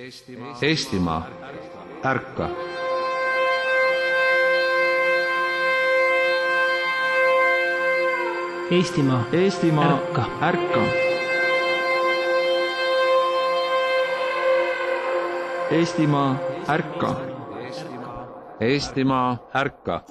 Eestimaa, ärka! Eestimaa, ärka! Ärka! Eestimaa, ärka! Eestimaa, ärka!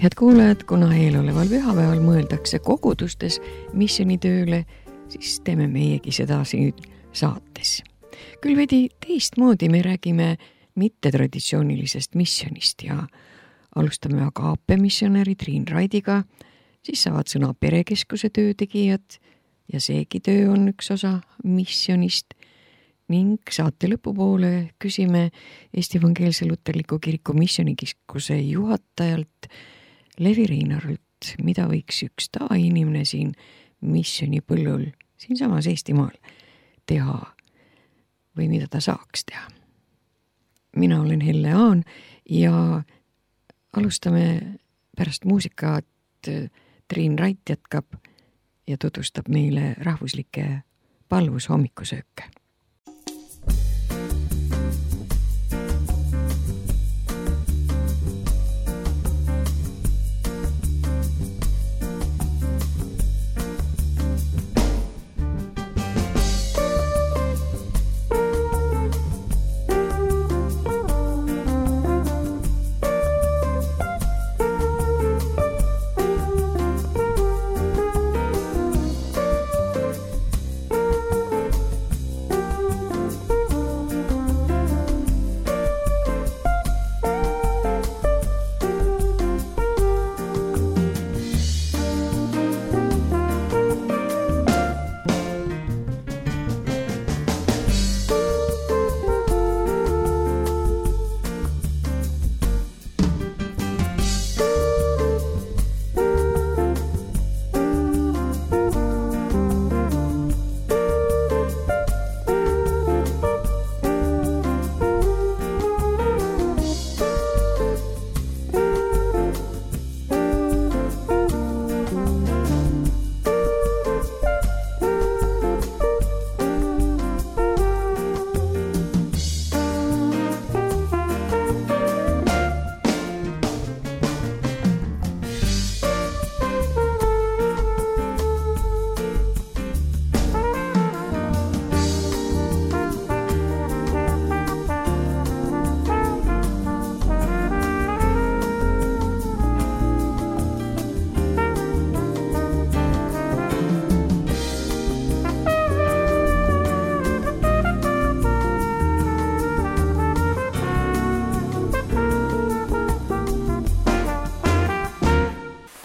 Head kuulajad, kuna eeloleval pühapäeval mõeldakse kogudustes missionitööle, siis teeme meiegi seda siin saates. Küll veidi teistmoodi me räägime mittetraditsioonilisest missionist ja alustame Agape missionäri Triin Raidiga, siis saavad sõna perekeskuse töötegijad ja seegi töö on üks osa missionist ning saate lõpupoole küsime Eesti Evangeelse Luterliku Kiriku missionikeskuse juhatajalt Levi Reinarult, mida võiks üks tavainimene siin missionipõllul siinsamas Eestimaal teha või mida ta saaks teha. Mina olen Helle Aan ja alustame pärast muusikat. Triin Rait jätkab ja tutvustab meile rahvuslikke palvushommikusööke.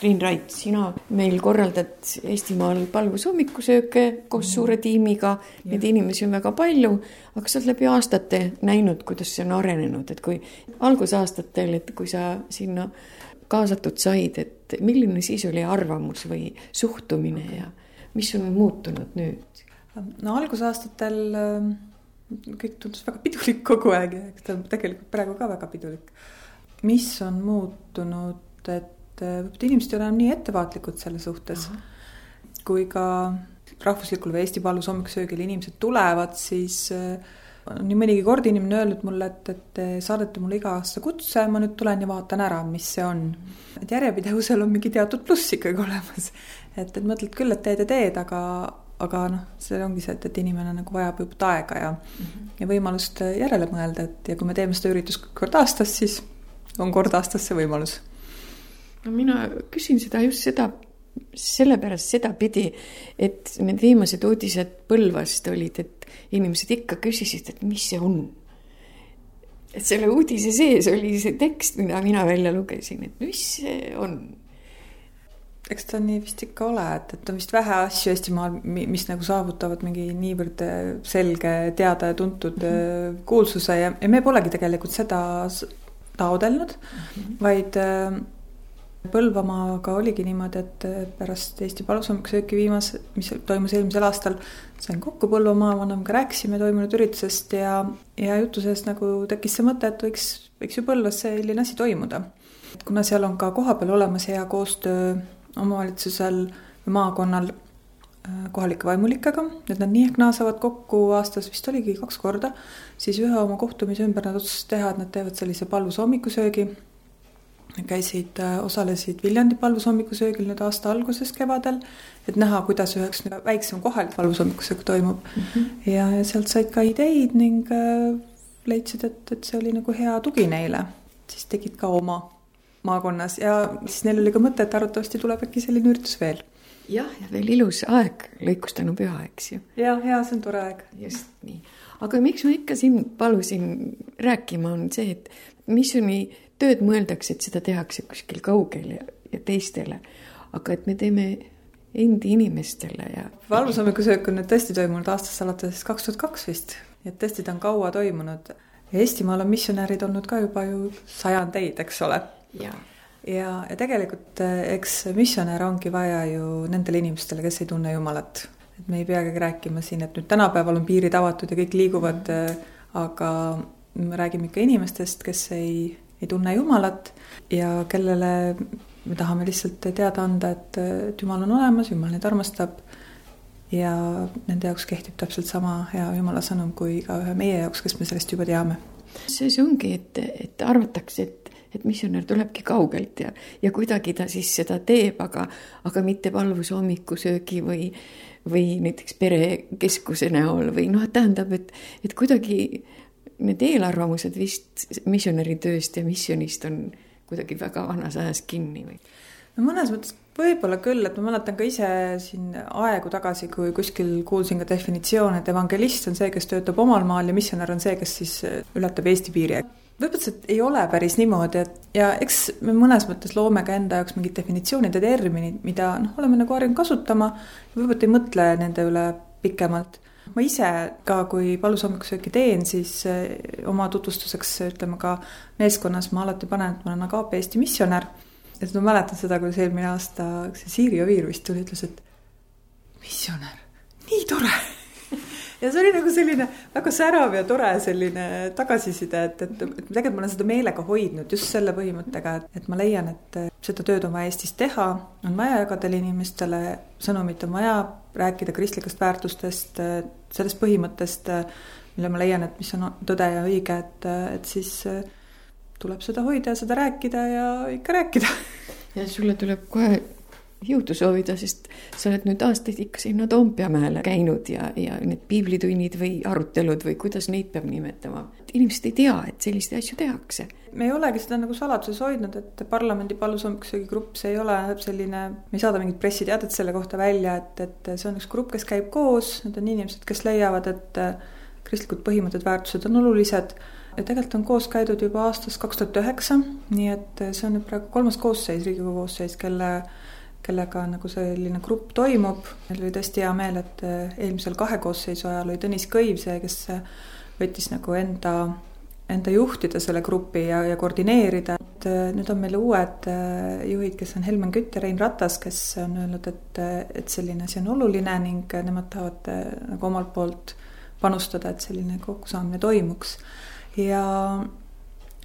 Triin Rait, sina meil korraldad Eestimaal palvushommikusööke koos suure tiimiga, neid inimesi on väga palju, aga sa oled läbi aastate näinud, kuidas see on arenenud, et kui algusaastatel, et kui sa sinna kaasatud said, et milline siis oli arvamus või suhtumine ja mis on muutunud nüüd? No algusaastatel kõik tundus väga pidulik kogu aeg ja eks ta tegelikult praegu ka väga pidulik. Mis on muutunud, et inimesed ei ole nii ettevaatlikud selle suhtes. Kui ka rahvuslikul või Eesti palvushommikusöögil inimesed tulevad, siis nii mõnigi kord inimene öelnud mulle, et saadete mulle iga aasta kutse, ma nüüd tulen ja vaatan ära, mis see on. Et järjepidevusel on mingi teatud pluss ikkagi olemas. Et mõtled küll, et teed, aga see ongi see, et inimene nagu vajab juba aega ja võimalust järele mõelda. Ja kui me teeme seda üritust kord aastas, siis on kord aastas see võimalus. No mina küsin seda just seda sellepärast sedapidi, et need viimased uudised Põlvast olid, et inimesed ikka küsisid, et mis see on. Et selle uudise sees oli see tekst, mida mina välja lugesin, et mis see on. Eks ta nii vist ikka ole, et on vist vähe asju Eestimaal, mis nagu saavutavad mingi niivõrd selge, teada ja tuntud kuulsuse ja me polegi tegelikult seda taodelnud, vaid Põlvamaaga oligi niimoodi, et pärast Eesti palushommikussööki mis toimus eelmisel aastal, sain kokku Põlvamaa vanemaga, rääkisime toimunud üritusest ja jutu seest nagu tekkis see mõte, et võiks ju Põlvas selline asi toimuda. Kuna seal on ka kohapeal olemas hea koostöö omavalitsusel ja maakonnal kohalike vaimulikega, et nad nii ehk naasavad kokku aastas, vist oligi 2 korda, siis ühe oma kohtumise ümber nad otsustasid teha, et nad teevad sellise palvushommikusöögi. Osalesid Viljandi palvushommikusöögil nüüd aasta alguses kevadel, et näha, kuidas üheks väiksem kohalik palvushommikusöök toimub. Ja sealt said ka ideid ning leidsid, et see oli nagu hea tugi neile. Siis tegid ka oma maakonnas ja siis neil oli ka mõte, et arvatavasti tuleb äkki selline üritus veel. Ja veel ilus aeg, lõikustanu püha, eks ju. Ja, see on tore aeg. Just nii. Aga miks ma ikka siin palusin rääkima on see, et missioni tööd mõeldakse, et seda tehakse kuskil kaugel ja teistele, aga et me teeme endi inimestele. Ja palvushommikusöök on nüüd tõesti toimunud aastast alates 2002 vist, et tõesti ta on kaua toimunud. Ja Eestimaal on missionärid olnud ka juba ju sajandeid, eks ole. Ja tegelikult eks missionär ongi vaja ju nendele inimestele, kes ei tunne Jumalat. Et me ei peagi rääkima siin, et nüüd tänapäeval on piirid avatud ja kõik liiguvad, aga me räägime ikka inimestest, kes ei tunne Jumalat ja kellele me tahame lihtsalt teada anda, et Jumal on olemas, Jumal neid armastab ja nende jaoks kehtib täpselt sama hea Jumala sõnum kui ka ühe meie jaoks, kes me sellest juba teame. See ongi, et arvatakse, et missionär tulebki kaugelt ja kuidagi ta siis seda teeb, aga mitte palvushommikusöögi või näiteks perekeskuse näol või tähendab, et kuidagi need eelarvamused vist missionäri tööst ja missionist on kuidagi väga vanas ajas kinni või? No mõnes mõttes võib-olla küll, et ma mäletan ka ise siin aegu tagasi, kui kuskil kuulsin ka definitsioon, et evangelist on see, kes töötab omal maal ja missionär on see, kes siis ületab Eesti piiri. Võib-olla see ei ole päris niimoodi, ja eks me mõnes mõttes loome ka enda jaoks mingid definitsioonid ja terminid, mida oleme nagu harjunud kasutama ja võib-olla ei mõtle nende üle pikemalt. Ma ise ka, kui palvushommikusööki teen, siis oma tutvustuseks ütleme ka meeskonnas ma alati panen, et ma olen Agape Eesti missionär. Et ma mäletan seda, kui eelmine aasta Siiri Oviir vist tuli, ütles, et missionär, nii tore. Ja see oli nagu selline väga särav ja tore selline tagasiside, et tegelikult ma olen seda meelega hoidnud just selle põhimõttega, et ma leian, et seda tööd on vaja Eestis teha, on vaja jagada inimestele sõnumit, on vaja rääkida kristlikest väärtustest, sellest põhimõttest, mille ma leian, et mis on tõde ja õige, et siis tuleb seda hoida ja seda rääkida ja ikka rääkida. Ja sulle tuleb kohe jõudu soovida, sest sa oled nüüd aastaid ikka sinna Toompeamäele käinud ja need piiblitunnid või arutelud või kuidas neid peab nimetama. Inimesed ei tea, et selliste asju tehakse. Me ei olegi seda nagu saladuses hoidnud, et parlamendi palvushommikusöögi grupp, see ei ole selline, me ei saada mingit pressiteadet selle kohta välja, et see on üks grupp, kes käib koos, need on inimesed, kes leiavad, et kristlikud põhimõtted, väärtused on olulised. Ja tegelikult on koos käidud juba aastast 2009, nii et see on nüüd praegu 3. koosseis, Riigikogu koosseis, kellega nagu selline grupp toimub. Meil oli tõesti hea meel, et eelmisel 2 koosseisu ajal oli Tõnis Kõiv see, kes võttis nagu enda juhtida selle grupi ja koordineerida. Nüüd on meil uued juhid, kes on Helmen Kütt ja Rein Ratas, kes on öelnud, et selline asi on oluline ning nemad tahavad nagu omalt poolt panustada, et selline kokkusaamine toimuks. Ja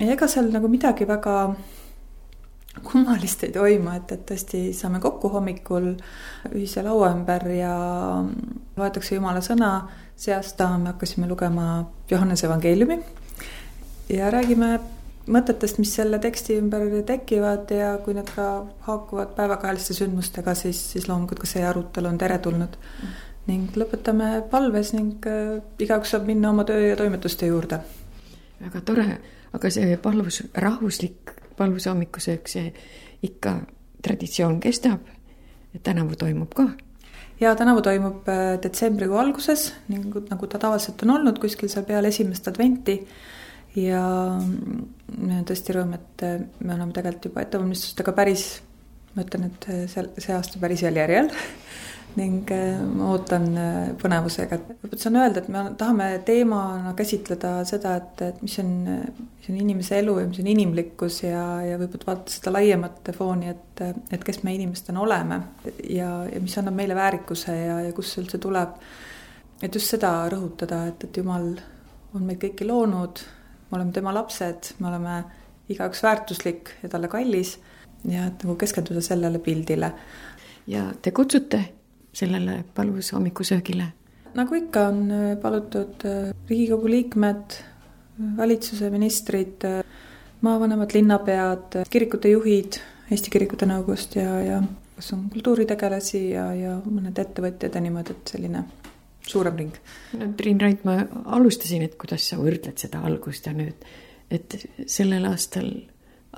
ega seal nagu midagi väga kummalist ei toimu, et tõesti saame kokku hommikul ühise laua ümber ja loetakse Jumala sõna. See aasta me hakkasime lugema Johannese evangeeliumi ja räägime mõtetest, mis selle teksti ümber tekivad ja kui need ka haakuvad päevakajaliste sündmustega, siis loomulikult ka see arutelu on teretulnud. Ning lõpetame palves ning igaüks saab minna oma töö ja toimetuste juurde. Väga tore, aga see rahvuslik palvushommikusöök, see ikka traditsioon kestab ja tänavu toimub ka. Ja tänavu toimub detsembrikuu alguses, nagu ta tavaliselt on olnud, kuskil seal peale esimest adventi. Ja me on tõesti rõõm, et me oleme tegelikult juba ettevalmistustega päris, ma ütlen, et see aasta päris järjel ning ma ootan põnevusega. Saan öelda, et me tahame teemana käsitleda seda, et mis on inimese elu ja mis on inimlikkus ja võib-olla vaadata seda laiemat fooni, et kes me inimestena oleme ja mis annab meile väärikuse ja kus üldse tuleb. Et just seda rõhutada, et Jumal on meid kõiki loonud, me oleme tema lapsed, me oleme igaüks väärtuslik ja talle kallis ja et nagu keskenduda sellele pildile. Ja te kutsute sellele palvus hommikusöögile? Nagu ikka on palutud Riigikogu liikmed, valitsuse ministrid, maavanemad, linnapead, kirikute juhid Eesti Kirikute Nõukogust ja kas on kultuuritegelasi ja mõned ettevõtjad ja niimoodi, et selline suurem ring. No, Triin Rait, ma alustasin, et kuidas sa võrdled seda algust ja nüüd, et sellel aastal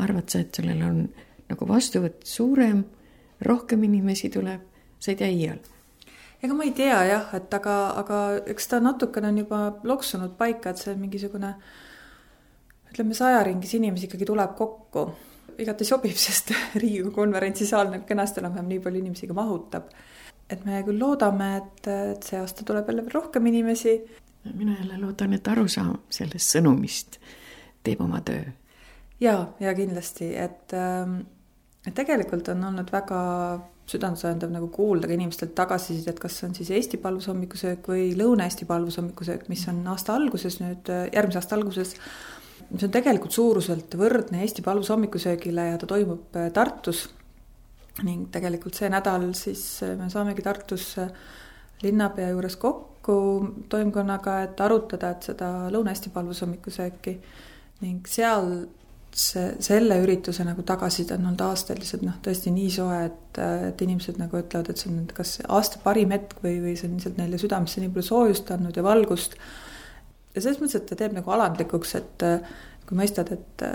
arvad sa, et sellel on nagu vastuvõtt suurem, rohkem inimesi tuleb, sa ei tea iial? Ega ma ei tea jah, et aga eks ta natukene on juba loksunud paika, et see mingisugune, ütleme 100 ringis inimesi ikkagi tuleb kokku. Igati sobib, sest Riigikogu konverentsisaal näeb kenasti enam nii palju inimesi ka mahutab. Et me küll loodame, et see aasta tuleb jälle rohkem inimesi. Mina jälle loodan, et arusaam sellest sõnumist teeb oma töö. Ja kindlasti, et tegelikult on olnud väga südantsööndav nagu kuulda ka inimestelt tagasisidet, et kas on siis Eesti palvusommikusöök või Lõuna-Eesti palvusommikusöök, mis on aasta alguses nüüd, järgmise aasta alguses. See on tegelikult suuruselt võrdne Eesti palvusommikusöögile ja ta toimub Tartus. Ning tegelikult see nädal siis me saamegi Tartus linnapea juures kokku toimkonnaga, et arutada, et seda Lõuna-Eesti palvusommikusööki ning seal selle ürituse nagu tagasiside on olnud aastaliselt tõesti nii soe, et inimesed nagu ütlevad, et see on kas aasta parim hetk või see on lihtsalt neile südamesse nii palju soojust andnud ja valgust. Ja selles mõttes, et ta teeb nagu alandlikuks, et kui mõistad, et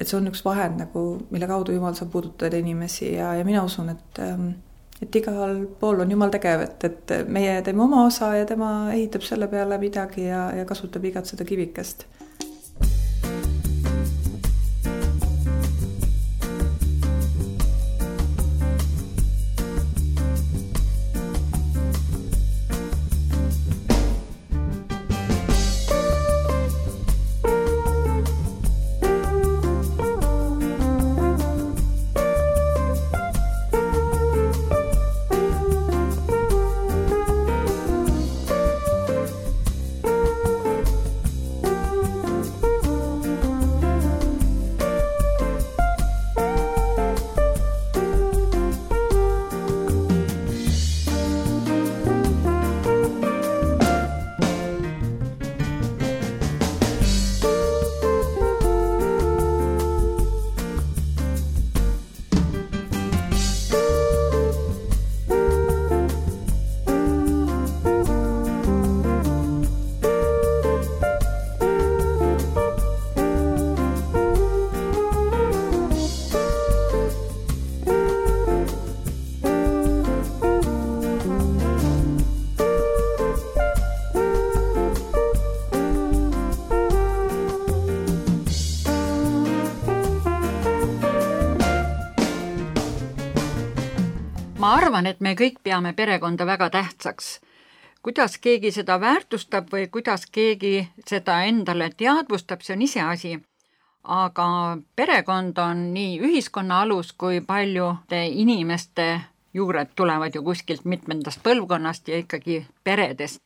see on üks vahend, nagu, mille kaudu Jumal saab puudutada inimesi ja mina usun, et igal pool on Jumal tegev, et meie teeme oma osa ja tema ehitab selle peale midagi ja kasutab igat seda kivikest. Ma arvan, et me kõik peame perekonda väga tähtsaks. Kuidas keegi seda väärtustab või kuidas keegi seda endale teadvustab, see on iseasi. Aga perekond on nii ühiskonna alus kui paljude inimeste juured tulevad ju kuskilt mitmendast põlvkonnast ja ikkagi peredest.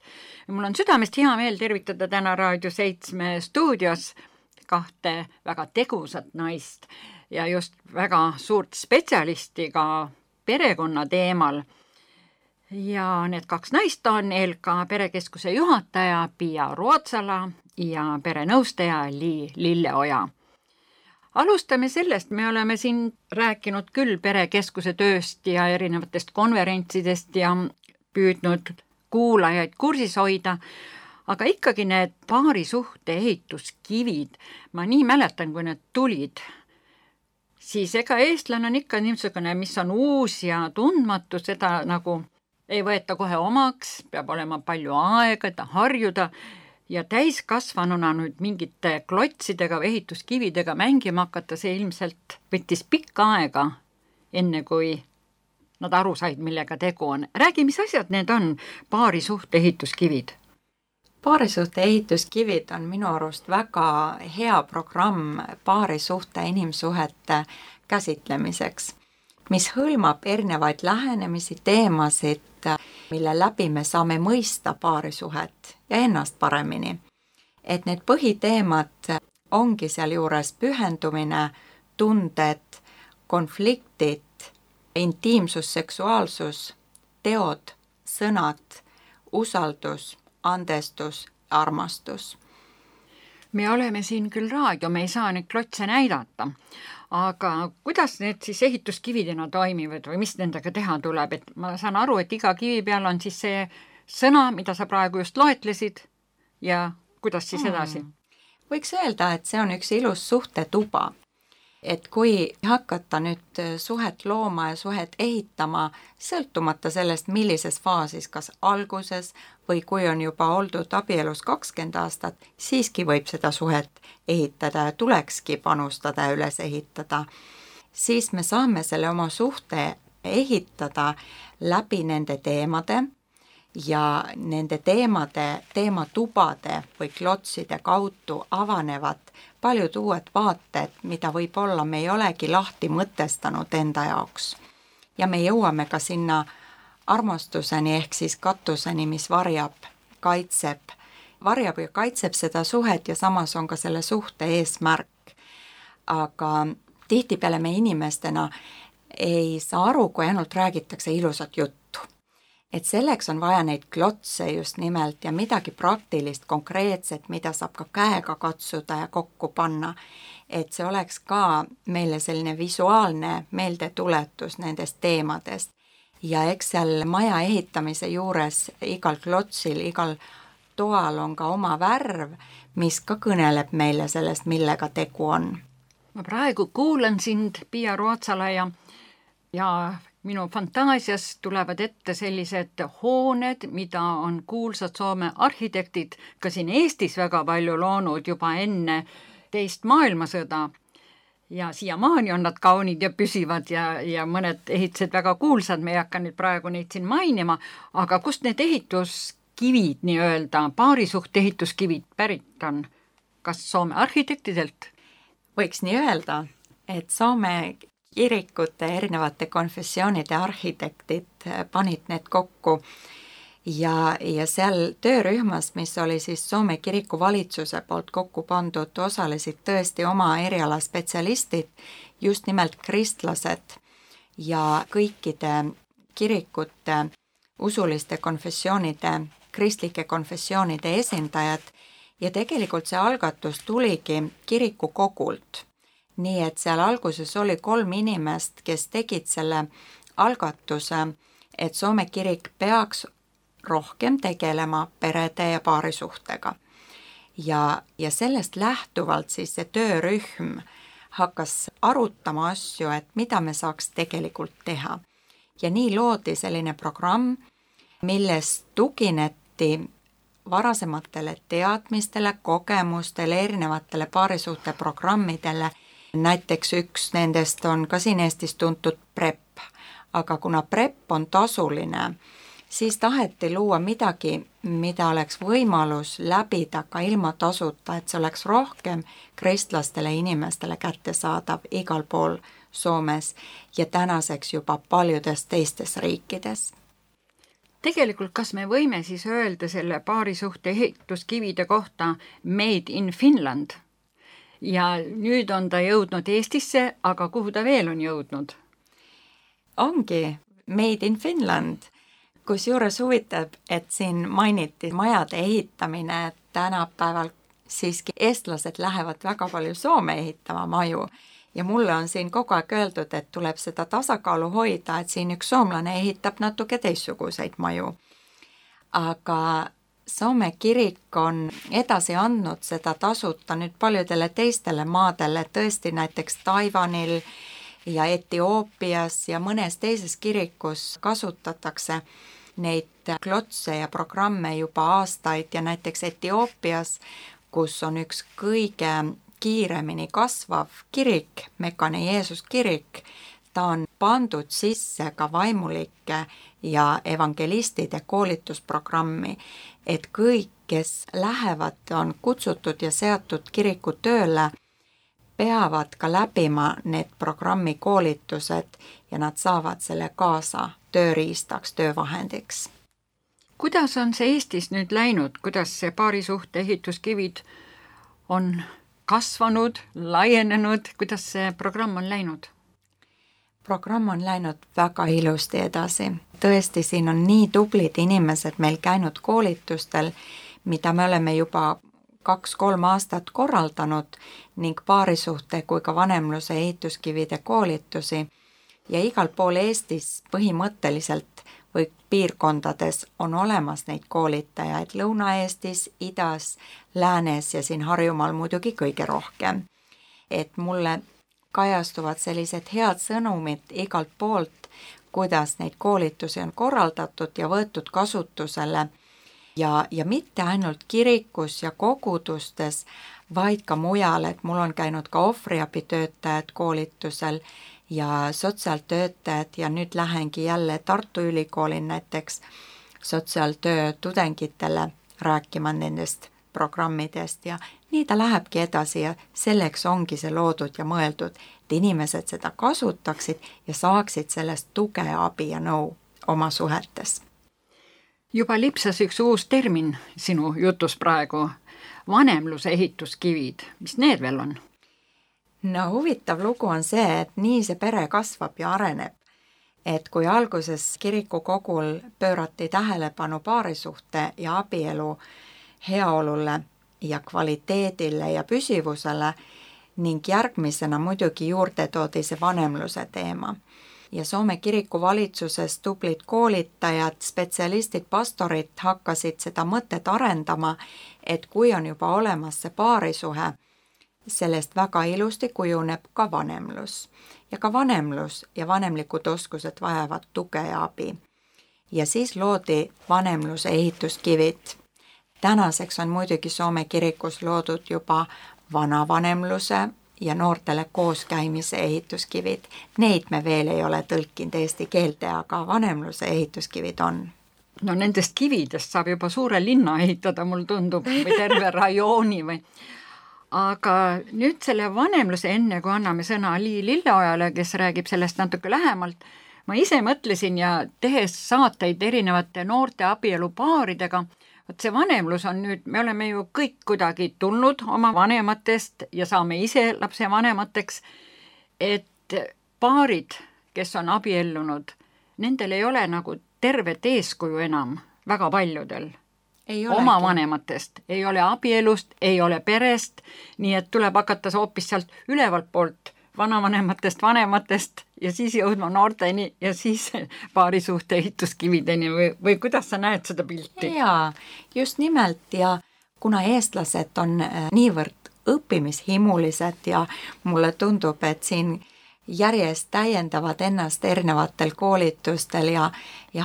Mul on südamest hea meel tervitada täna Raadio 7 stuudios 2 väga tegusat naist ja just väga suurt spetsialisti ka perekonna teemal. Ja need 2 naist on ELKA perekeskuse juhataja Pia Ruotsala ja perenõustaja Lilleoja. Alustame sellest, me oleme siin rääkinud küll perekeskuse tööst ja erinevatest konverentsidest ja püüdnud kuulajaid kursis hoida, aga ikkagi need paarisuhte ehituskivid, ma nii mäletan, kui need tulid, siis ega eestlane on ikka niisugune, mis on uus ja tundmatu, seda nagu ei võeta kohe omaks, peab olema palju aega, et harjuda ja täiskasvanuna nüüd mingite klotsidega või ehituskividega mängima hakata, see ilmselt võttis pikka aega, enne kui nad aru said, millega tegu on. Räägi, mis asjad need on, paarisuhte ehituskivid? Paarisuhte ehituskivid on minu arust väga hea programm paarisuhte inimsuhete käsitlemiseks, mis hõlmab erinevaid lähenemisi, teemasid, mille läbi me saame mõista paarisuhet ja ennast paremini. Et need põhiteemad ongi sealjuures pühendumine, tunded, konfliktid, intiimsus, seksuaalsus, teod, sõnad, usaldus, andestus, armastus. Me oleme siin küll raadio, me ei saa neid klotse näidata, aga kuidas need siis ehituskividena toimivad või mis nendega teha tuleb? Et ma saan aru, et iga kivi peal on siis see sõna, mida sa praegu just loetlesid ja kuidas siis edasi? Võiks öelda, et see on üks ilus suhtetuba. Et kui hakata nüüd suhet looma ja suhet ehitama, sõltumata sellest, millises faasis, kas alguses või kui on juba oldud abielus 20 aastat, siiski võib seda suhet ehitada ja tulekski panustada ja üles ehitada. Siis me saame selle oma suhte ehitada läbi nende teemade ja nende teematubade või klotside kaudu avanevad paljud uued vaated, mida võib-olla me ei olegi lahti mõtestanud enda jaoks. Ja me jõuame ka sinna armastuseni ehk siis katuseni, mis varjab ja kaitseb seda suhet ja samas on ka selle suhte eesmärk. Aga tihtipeale me inimestena ei saa aru, kui ainult räägitakse ilusat juttu. Et selleks on vaja neid klotse just nimelt ja midagi praktilist, konkreetset, mida saab ka käega katsuda ja kokku panna. Et see oleks ka meile selline visuaalne meeldetuletus nendest teemadest. Ja eks seal maja ehitamise juures igal klotsil, igal toal on ka oma värv, mis ka kõneleb meile sellest, millega tegu on. Ma praegu kuulan sind, Pia Ruotsala, ja minu fantaasias tulevad ette sellised hooned, mida on kuulsad Soome arhitektid ka siin Eestis väga palju loonud juba enne teist maailmasõda. Ja siiamaani on nad kaunid ja püsivad ja mõned ehitused väga kuulsad, me ei hakka nüüd praegu neid siin mainima, aga kust need ehituskivid nii-öelda, paarisuhte ehituskivid pärit on? Kas Soome arhitektidelt? Võiks nii öelda, et Soome kirikute erinevate konfessioonide arhitektid panid need kokku ja seal töörühmas, mis oli siis Soome kiriku valitsuse poolt kokku pandud, osalesid tõesti oma eriala spetsialistid, just nimelt kristlased ja kõikide kirikute, usuliste konfessioonide, kristlike konfessioonide esindajad ja tegelikult see algatus tuligi kirikukogult. Nii et seal alguses oli 3 inimest, kes tegid selle algatuse, et Soome kirik peaks rohkem tegelema perede ja paarisuhtega. Ja sellest lähtuvalt siis see töörühm hakkas arutama asju, et mida me saaks tegelikult teha. Ja nii loodi selline programm, milles tugineti varasematele teadmistele, kogemustele, erinevatele paarisuhte programmidele. Näiteks üks nendest on ka siin Eestis tuntud PREP, aga kuna PREP on tasuline, siis taheti luua midagi, mida oleks võimalus läbida ka ilma tasuta, et see oleks rohkem kristlastele inimestele kättesaadav igal pool Soomes ja tänaseks juba paljudes teistes riikides. Tegelikult kas me võime siis öelda selle paarisuhte ehituskivide kohta Made in Finland? Ja nüüd on ta jõudnud Eestisse, aga kuhu ta veel on jõudnud? Ongi Made in Finland, kus juures huvitab, et siin mainiti majade ehitamine, et tänapäeval siiski eestlased lähevad väga palju Soome ehitama maju. Ja mulle on siin kogu aeg öeldud, et tuleb seda tasakaalu hoida, et siin üks soomlane ehitab natuke teistsuguseid maju. Aga Soome kirik on edasi andnud seda tasuta nüüd paljudele teistele maadele, tõesti näiteks Taiwanil ja Etioopias ja mõnes teises kirikus kasutatakse neid klotse ja programme juba aastaid ja näiteks Etioopias, kus on üks kõige kiiremini kasvav kirik, Mekane Jeesus kirik, ta on pandud sisse ka vaimulike ja evangelistide koolitusprogrammi, et kõik, kes lähevad, on kutsutud ja seatud kiriku tööle, peavad ka läbima need programmi koolitused ja nad saavad selle kaasa tööriistaks, töövahendiks. Kuidas on see Eestis nüüd läinud, kuidas see paarisuhte ehituskivid on kasvanud, laienenud, kuidas see programm on läinud? Programm on läinud väga ilusti edasi. Tõesti, siin on nii tublid inimesed meil käinud koolitustel, mida me oleme juba 2-3 aastat korraldanud ning paarisuhte kui ka vanemluse ehituskivide koolitusi ja igal pool Eestis põhimõtteliselt või piirkondades on olemas neid koolitajaid Lõuna-Eestis, Idas, Läänes ja siin Harjumaal muidugi kõige rohkem. Et mulle kajastuvad sellised head sõnumid igalt poolt, kuidas neid koolitusi on korraldatud ja võetud kasutusele ja mitte ainult kirikus ja kogudustes, vaid ka mujal, et mul on käinud ka ohvriabitöötajad koolitusel ja sotsiaaltöötajad ja nüüd lähengi jälle Tartu Ülikoolin näiteks sotsiaaltöö tudengitele rääkima nendest programmidest ja nii ta lähebki edasi ja selleks ongi see loodud ja mõeldud, et inimesed seda kasutaksid ja saaksid sellest tuge, abi ja nõu oma suhetes. Juba lipsas üks uus termin sinu jutus praegu, vanemluse ehituskivid, mis need veel on? No huvitav lugu on see, et nii see pere kasvab ja areneb. Et kui alguses kirikukogul pöörati tähelepanu paarisuhte ja abielu heaolule ja kvaliteedile ja püsivusele ning järgmisena muidugi juurde toodi see vanemluse teema. Ja Soome kiriku valitsuses tublid koolitajad, spetsialistid, pastorid hakkasid seda mõtet arendama, et kui on juba olemas see paarisuhe, sellest väga ilusti kujuneb ka vanemlus. Ja ka vanemlus ja vanemlikud oskused vajavad tuge ja abi. Ja siis loodi vanemluse ehituskivid. Tänaseks on muidugi Soome kirikus loodud juba vanavanemluse ja noortele kooskäimise ehituskivid. Neid me veel ei ole tõlkinud eesti keelde, aga vanemluse ehituskivid on. No nendest kividest saab juba suure linna ehitada, mul tundub, või terve rajooni või. Aga nüüd selle vanemluse enne, kui anname sõna Lii Lilleojale, kes räägib sellest natuke lähemalt, ma ise mõtlesin ja tehes saateid erinevate noorte abielupaaridega, et see vanemlus on nüüd, me oleme ju kõik kuidagi tulnud oma vanematest ja saame ise lapse vanemateks, et paarid, kes on abiellunud, nendel ei ole nagu tervet eeskuju enam väga paljudel. Oma vanematest, ei ole abielust, ei ole perest, nii et tuleb hakata hoopis sealt ülevalt poolt vanavanematest, vanematest ja siis jõudma noorteni ja siis paarisuhte ehituskivideni või kuidas sa näed seda pilti? Jaa, just nimelt ja kuna eestlased on niivõrd õppimishimulised ja mulle tundub, et siin järjest täiendavad ennast erinevatel koolitustel ja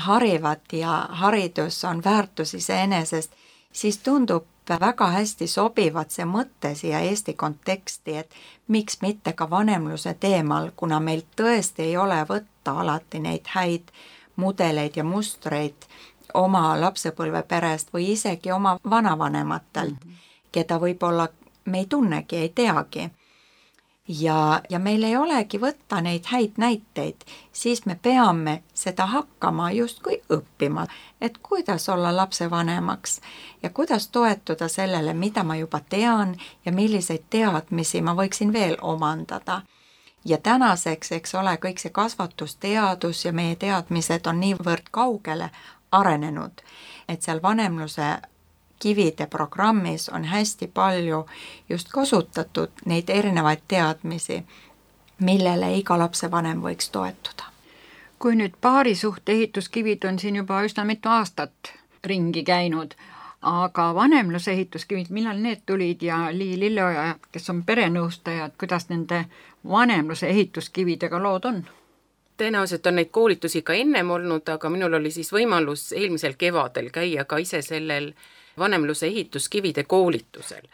harivad ja haridus on väärtus iseenesest, siis tundub väga hästi sobivad see mõte siia Eesti konteksti, et miks mitte ka vanemluse teemal, kuna meil tõesti ei ole võtta alati neid häid mudeleid ja mustreid oma lapsepõlveperest või isegi oma vanavanematelt, keda võib-olla me ei tunnegi, ei teagi. Ja meil ei olegi võtta neid häid näiteid, siis me peame seda hakkama justkui õppima, et kuidas olla lapsevanemaks ja kuidas toetuda sellele, mida ma juba tean ja milliseid teadmisi ma võiksin veel omandada. Ja tänaseks, eks ole, kõik see kasvatusteadus ja meie teadmised on niivõrd kaugele arenenud, et seal vanemluse kivide programmis on hästi palju just kasutatud neid erinevaid teadmisi, millele iga lapsevanem võiks toetuda. Kui nüüd paarisuhte ehituskivid on siin juba üsna mitu aastat ringi käinud, aga vanemluse ehituskivid, millal need tulid ja Lii Lilleoja, kes on perenõustajad, kuidas nende vanemluse ehituskividega lood on? Tõenäoliselt on neid koolitusi ka ennem olnud, aga minul oli siis võimalus eelmisel kevadel käia ka ise sellel vanemluse ehituskivide koolitusel.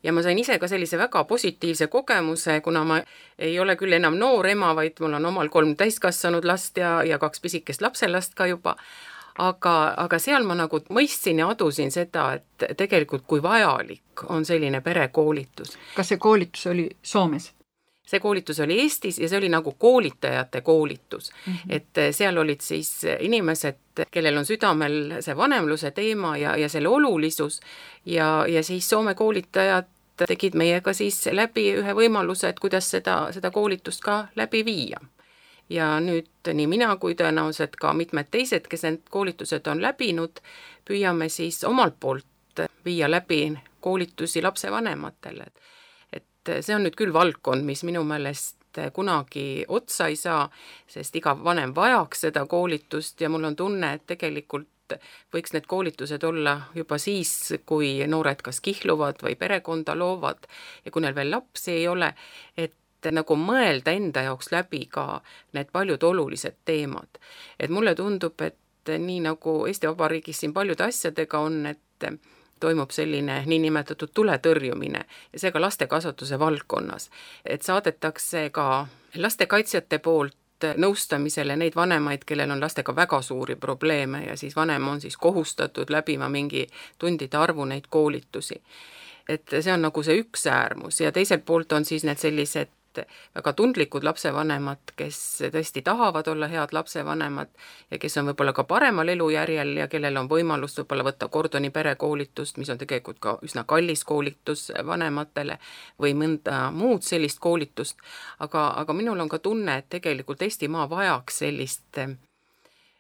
Ja ma sain ise ka sellise väga positiivse kogemuse, kuna ma ei ole küll enam noor ema, vaid mul on omal 3 täiskasvanud last ja 2 pisikest lapselast ka juba. Aga seal ma nagu mõistsin ja adusin seda, et tegelikult kui vajalik on selline perekoolitus. Kas see koolitus oli Soomes? See koolitus oli Eestis ja see oli nagu koolitajate koolitus. Et seal olid siis inimesed, kellel on südamel see vanemluse teema ja selle olulisus ja siis Soome koolitajad tegid meiega siis läbi ühe võimaluse, et kuidas seda koolitust ka läbi viia. Ja nüüd nii mina kui tõenäoliselt ka mitmed teised, kes need koolitused on läbinud, püüame siis omalt poolt viia läbi koolitusi lapsevanematele. See on nüüd küll valdkond, mis minu meelest kunagi otsa ei saa, sest iga vanem vajaks seda koolitust ja mul on tunne, et tegelikult võiks need koolitused olla juba siis, kui noored kas kihluvad või perekonda loovad ja kui neil veel lapsi ei ole, et nagu mõelda enda jaoks läbi ka need paljud olulised teemad. Et mulle tundub, et nii nagu Eesti Vabariigis siin paljude asjadega on, et toimub selline niinimetatud tuletõrjumine ja see ka lastekasvatuse valdkonnas. Et saadetakse ka lastekaitsjate poolt nõustamisele neid vanemaid, kellel on lastega väga suuri probleeme ja siis vanem on siis kohustatud läbima mingi tundide arvu neid koolitusi. Et see on nagu see üks äärmus ja teiselt poolt on siis need sellised väga tundlikud lapsevanemad, kes tõesti tahavad olla head lapsevanemad ja kes on võib-olla ka paremal elujärjel ja kellel on võimalus võib-olla võtta Gordoni perekoolitust, mis on tegelikult ka üsna kallis koolitus vanematele või mõnda muud sellist koolitust. Aga minul on ka tunne, et tegelikult Eestimaa vajaks sellist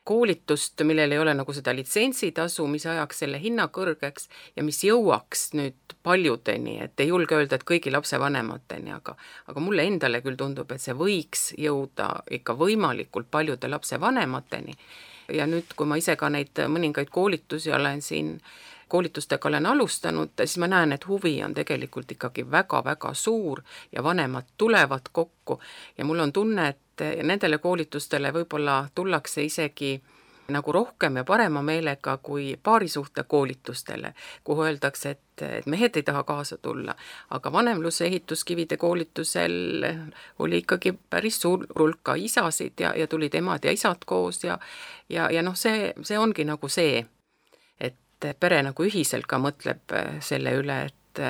koolitust, millel ei ole nagu seda litsentsitasu, mis ajaks selle hinna kõrgeks ja mis jõuaks nüüd paljudeni, et ei julge öelda, et kõigi lapsevanemateni, aga mulle endale küll tundub, et see võiks jõuda ikka võimalikult paljude lapsevanemateni. Ja nüüd, kui ma ise ka neid mõningaid koolitusi olen siin koolitustega olen alustanud, siis ma näen, et huvi on tegelikult ikkagi väga-väga suur ja vanemad tulevad kokku ja mul on tunne, et nendele koolitustele võib-olla tullakse isegi nagu rohkem ja parema meelega kui paarisuhte koolitustele, kuhu öeldakse, et mehed ei taha kaasa tulla, aga vanemluse ehituskivide koolitusel oli ikkagi päris suur hulk ka isasid ja tulid emad ja isad koos ja noh, see ongi nagu see, et pere nagu ühiselt ka mõtleb selle üle, et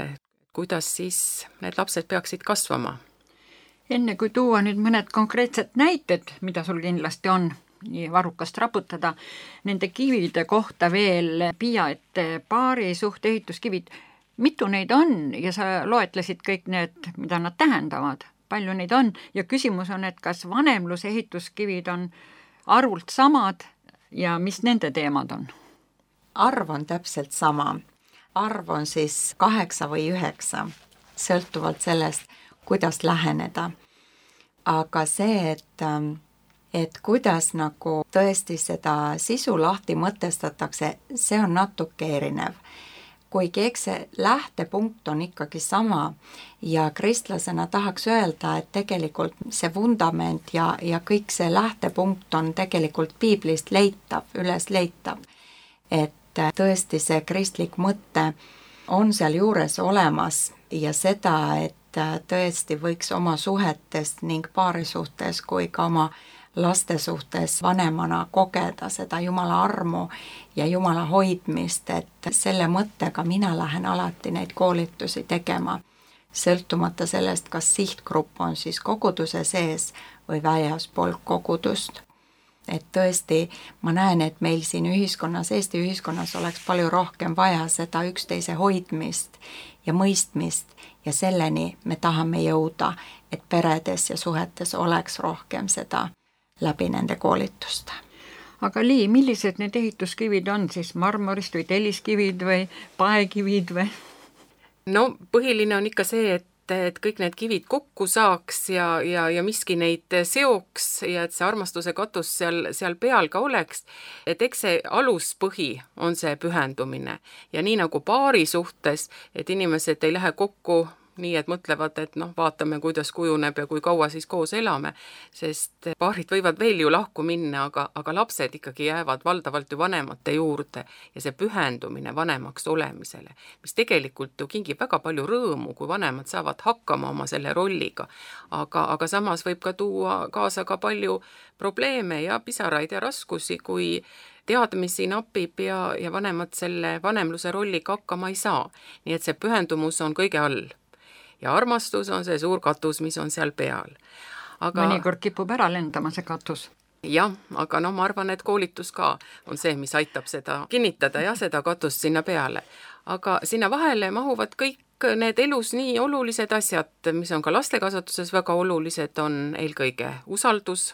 kuidas siis need lapsed peaksid kasvama. Enne kui tuua nüüd mõned konkreetsed näited, mida sul kindlasti on, nii varrukast raputada, nende kivide kohta veel Piia, et paarisuhte ehituskivid, mitu neid on ja sa loetlesid kõik need, mida nad tähendavad, palju neid on ja küsimus on, et kas vanemluse ehituskivid on arvult samad ja mis nende teemad on? Arv on täpselt sama. Arv on siis 8 või 9, sõltuvalt sellest, kuidas läheneda. Aga see, et kuidas nagu tõesti seda sisu lahti mõtestatakse, see on natuke erinev. Kuigi eks see lähtepunkt on ikkagi sama ja kristlasena tahaks öelda, et tegelikult see vundament ja kõik see lähtepunkt on tegelikult piiblist leitav, üles leitav. Et tõesti see kristlik mõte on seal juures olemas ja seda, et tõesti võiks oma suhetes ning paari suhtes kui ka oma laste suhtes vanemana kogeda seda Jumala armu ja Jumala hoidmist, et selle mõttega mina lähen alati neid koolitusi tegema, sõltumata sellest, kas sihtgrupp on siis koguduse sees või väljaspool kogudust. Et tõesti, ma näen, et meil siin ühiskonnas, Eesti ühiskonnas oleks palju rohkem vaja seda üksteise hoidmist ja mõistmist ja selleni me tahame jõuda, et peredes ja suhetes oleks rohkem seda läbi nende koolituste. Aga Lii, millised need ehituskivid on siis, marmorist või telliskivid või paekivid või? No põhiline on ikka see, et et kõik need kivid kokku saaks ja miski neid seoks ja et see armastuse katus seal peal ka oleks, et eks see aluspõhi on see pühendumine. Ja nii nagu paari suhtes, et inimesed ei lähe kokku nii, et mõtlevad, et vaatame, kuidas kujuneb ja kui kaua siis koos elame, sest paarid võivad veel ju lahku minna, aga lapsed ikkagi jäävad valdavalt ju vanemate juurde ja see pühendumine vanemaks olemisele, mis tegelikult ju kingib väga palju rõõmu, kui vanemad saavad hakkama oma selle rolliga, aga samas võib ka tuua kaasa ka palju probleeme ja pisaraid ja raskusi, kui teadmisi napib ja vanemad selle vanemluse rolliga hakkama ei saa. Nii et see pühendumus on kõige all. Ja armastus on see suur katus, mis on seal peal. Mõnikord kipub ära lendama see katus. Jah, aga ma arvan, et koolitus ka on see, mis aitab seda kinnitada ja seda katust sinna peale. Aga sinna vahele mahuvad kõik need elus nii olulised asjad, mis on ka lastekasvatuses väga olulised, on eelkõige usaldus,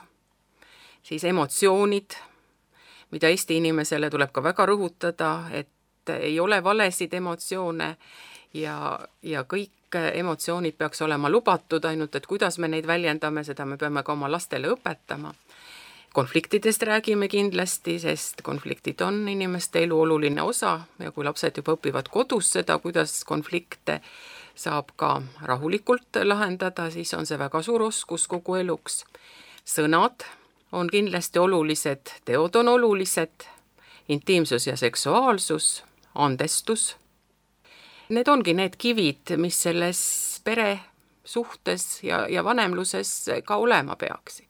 siis emotsioonid, mida Eesti inimesele tuleb ka väga rõhutada, et ei ole valesid emotsioone ja kõik emotsioonid peaks olema lubatud, ainult et kuidas me neid väljendame, seda me peame ka oma lastele õpetama. Konfliktidest räägime kindlasti, sest konfliktid on inimeste elu oluline osa ja kui lapsed juba õpivad kodus seda, kuidas konflikte saab ka rahulikult lahendada, siis on see väga suur oskus kogu eluks. Sõnad on kindlasti olulised, teod on olulised, intiimsus ja seksuaalsus, andestus. Need ongi need kivid, mis selles pere suhtes ja vanemluses ka olema peaksid.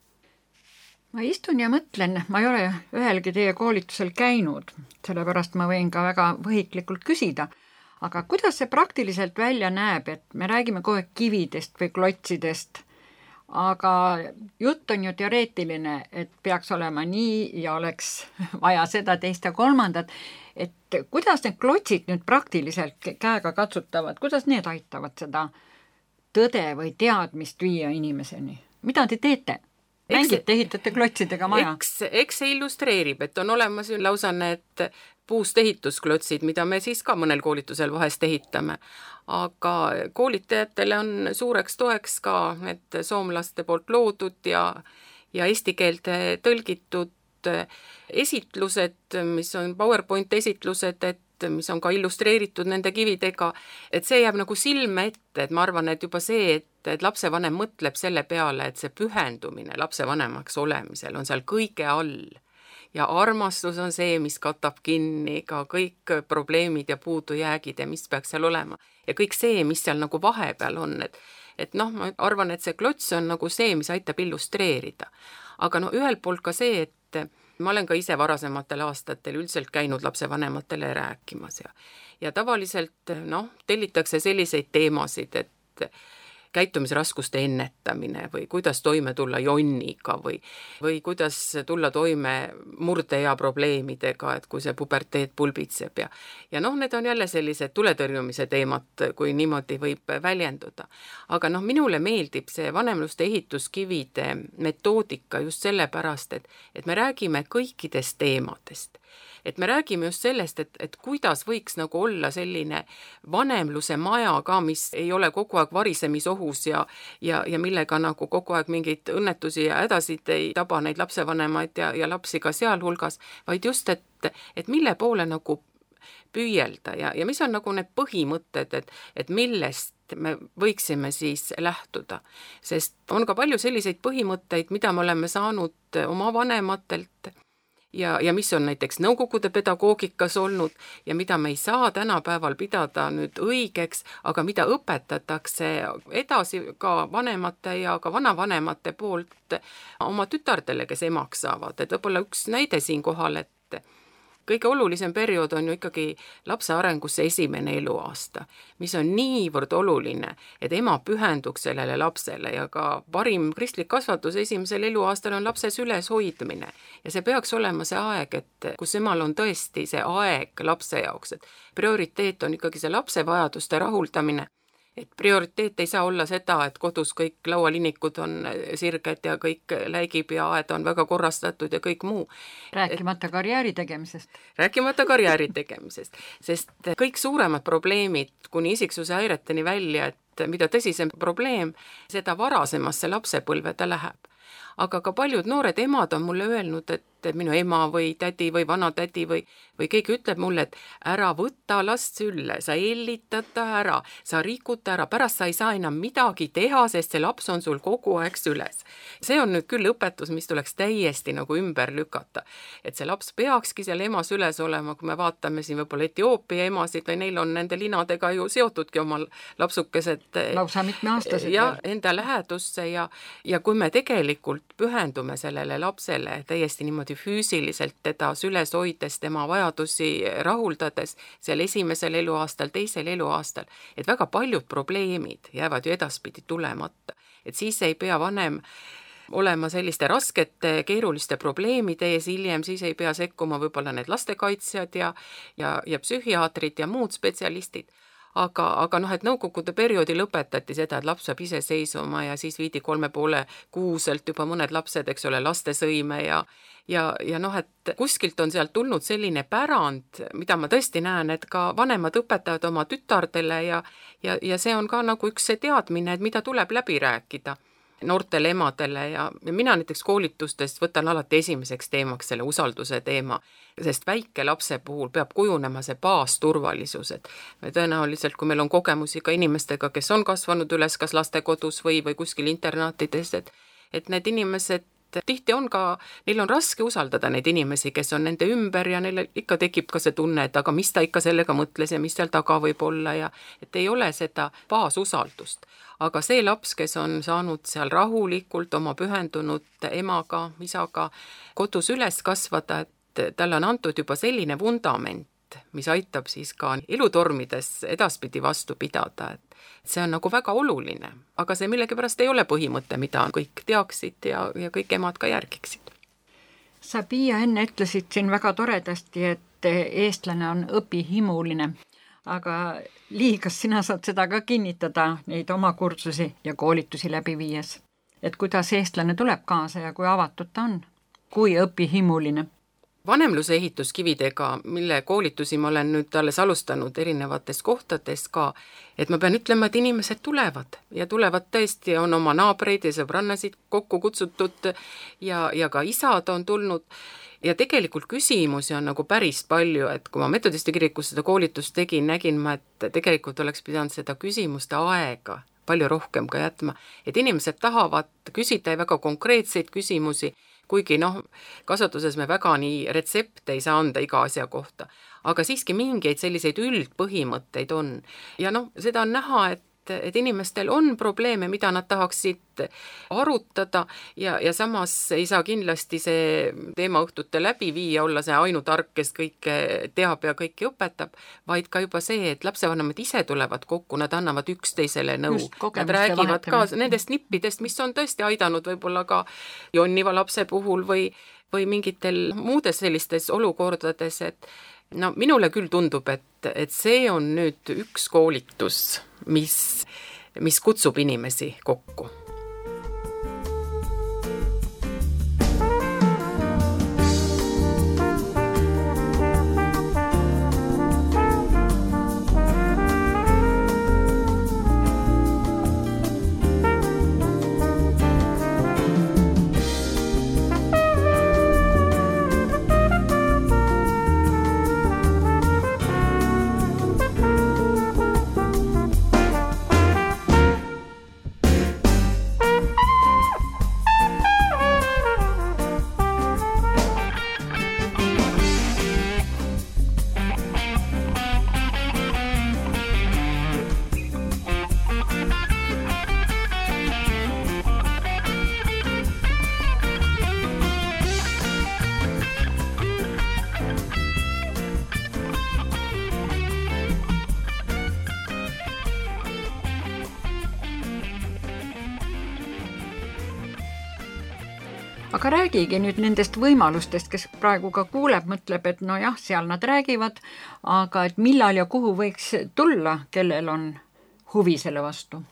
Ma istun ja mõtlen, ma ei ole ühelgi teie koolitusel käinud, sellepärast ma võin ka väga võhiklikult küsida, aga kuidas see praktiliselt välja näeb, et me räägime kogu aeg kividest või klotsidest, aga jutt on ju teoreetiline, et peaks olema nii ja oleks vaja seda, teist ja kolmandat, et kuidas need klotsid nüüd praktiliselt käega katsutavad, kuidas need aitavad seda tõde või teadmist viia inimeseni? Mida te teete? Mängite, ehitate klotsidega maja? Eks see illustreerib, et on olemas ju lausa need puust ehitusklotsid, mida me siis ka mõnel koolitusel vahest ehitame. Aga koolitajatele on suureks toeks ka need soomlaste poolt loodud ja eesti keelde tõlgitud esitlused, mis on PowerPoint esitlused, mis on ka illustreeritud nende kividega, et see jääb nagu silme ette, et ma arvan, et juba see, et lapsevanem mõtleb selle peale, et see pühendumine lapsevanemaks olemisel on seal kõige all ja armastus on see, mis katab kinni ka kõik probleemid ja puudujäägid ja mis peaks seal olema ja kõik see, mis seal nagu vahepeal on, et ma arvan, et see klots on nagu see, mis aitab illustreerida. Aga ühelt poolt ka see, et ma olen ka ise varasematel aastatel üldiselt käinud lapsevanematele rääkimas ja tavaliselt tellitakse selliseid teemasid, et käitumisraskuste ennetamine või kuidas toime tulla jonniga või kuidas tulla toime murdeea probleemidega, et kui see puberteet pulbitseb ja need on jälle sellised tuletõrjumise teemad, kui niimoodi võib väljenduda. Aga minule meeldib see vanemluste ehituskivide metoodika just sellepärast, et me räägime kõikidest teemadest. Et me räägime just sellest, et kuidas võiks nagu olla selline vanemluse maja ka, mis ei ole kogu aeg varisemisohus ja millega nagu kogu aeg mingeid õnnetusi ja hädasid ei taba neid lapsevanemaid ja lapsi ka sealhulgas, vaid just, et mille poole nagu püüelda ja mis on nagu need põhimõtted, et millest me võiksime siis lähtuda. Sest on ka palju selliseid põhimõtteid, mida me oleme saanud oma vanematelt ja mis on näiteks nõukogude pedagoogikas olnud ja mida me ei saa tänapäeval pidada nüüd õigeks, aga mida õpetatakse edasi ka vanemate ja ka vanavanemate poolt oma tütardele, kes emaks saavad. Et võib-olla üks näide siin kohal, et kõige olulisem periood on ju ikkagi lapse arengusse esimene eluaasta, mis on niivõrd oluline, et ema pühenduks sellele lapsele ja ka parim kristlik kasvatus esimesel eluaastal on lapse süles hoidmine. Ja see peaks olema see aeg, et kus emal on tõesti see aeg lapse jaoks, et prioriteet on ikkagi see lapse vajaduste rahuldamine. Et prioriteet ei saa olla seda, et kodus kõik laualinikud on sirged ja kõik läigib ja aed on väga korrastatud ja kõik muu. Rääkimata karjääri tegemisest. Rääkimata karjääri tegemisest, sest kõik suuremad probleemid kuni isiksuse häireteni välja, mida tõsisem probleem, seda varasemasse lapsepõlve ta läheb. Aga ka paljud noored emad on mulle öelnud, et minu ema või tädi või vanatädi või keegi ütleb mulle, et ära võta last sülle, sa ellitad ta ära, sa rikud ta ära, pärast sa ei saa enam midagi teha, sest see laps on sul kogu aeg süles. See on nüüd küll õpetus, mis tuleks täiesti nagu ümber lükata. Et see laps peakski seal ema süles olema, kui me vaatame siin võib-olla Etioopia emasid või neil on nende linadega ju seotudki oma lapsukesed. Lausa mitmeaastased. Ja enda lähedusse ja kui me tegelikult pühendume sellele lapsele täiesti niimoodi füüsiliselt teda süles hoides, tema vajadusi rahuldades seal esimesel eluaastal, teisel eluaastal, et väga paljud probleemid jäävad ju edaspidi tulemata. Et siis ei pea vanem olema selliste raskete, keeruliste probleemide ees hiljem, siis ei pea sekkuma võib-olla need lastekaitsjad ja psühhiaatrid ja muud spetsialistid. Aga et nõukogude perioodi lõpetati seda, et laps saab ise seisuma ja siis viidi 3,5 kuuselt juba mõned lapsed, eks ole, lastesõime ja et kuskilt on sealt tulnud selline pärand, mida ma tõesti näen, et ka vanemad õpetavad oma tütardele ja see on ka nagu üks see teadmine, et mida tuleb läbi rääkida noortele emadele ja mina näiteks koolitustest võtan alati esimeseks teemaks selle usalduse teema, sest väike lapse puhul peab kujunema see baasturvalisus, et me tõenäoliselt, kui meil on kogemusi ka inimestega, kes on kasvanud üles kas lastekodus või kuskil internaatides, et need inimesed tihti on ka, neil on raske usaldada neid inimesi, kes on nende ümber ja neil ikka tekib ka see tunne, et aga mis ta ikka sellega mõtles ja mis seal taga võib olla ja et ei ole seda baasusaldust. Aga see laps, kes on saanud seal rahulikult oma pühendunud emaga, isaga kodus üles kasvada, et talle on antud juba selline vundament, mis aitab siis ka elutormides edaspidi vastu pidada, et see on nagu väga oluline, aga see millegipärast ei ole põhimõte, mida kõik teaksid ja kõik emad ka järgiksid. Sa, Piia, enne ütlesid siin väga toredasti, et eestlane on õpihimuline, aga Lii, kas sina saad seda ka kinnitada, neid oma kursusi ja koolitusi läbi viies, et kuidas eestlane tuleb kaasa ja kui avatud ta on, kui õpihimuline? Vanemluse ehituskividega, mille koolitusi ma olen nüüd alles alustanud erinevates kohtades ka, et ma pean ütlema, et inimesed tulevad ja tulevad tõesti, on oma naabreid ja sõbrannasid kokku kutsutud ja ka isad on tulnud ja tegelikult küsimusi on nagu päris palju, et kui ma metodiste kirikus seda koolitust tegin, nägin ma, et tegelikult oleks pidanud seda küsimuste aega palju rohkem ka jätma, et inimesed tahavad küsida väga konkreetseid küsimusi, kuigi kasvatuses me väga nii retsepte ei saa anda iga asja kohta, aga siiski mingeid selliseid üldpõhimõtteid on. Ja seda on näha, et inimestel on probleeme, mida nad tahaksid arutada ja samas ei saa kindlasti see teemaõhtute läbi viia, olla see ainutark, kes kõike teab ja kõike õpetab, vaid ka juba see, et lapsevanemad ise tulevad kokku, nad annavad üksteisele nõu. Nad räägivad ka nendest nippidest, mis on tõesti aidanud võib-olla ka jonniva lapse puhul või mingitel muudes sellistes olukordades, et minule küll tundub, et see on nüüd üks koolitus, mis kutsub inimesi kokku. Aga räägigi nüüd nendest võimalustest, kes praegu ka kuuleb, mõtleb, et seal nad räägivad, aga et millal ja kuhu võiks tulla, kellel on huvi selle vastu.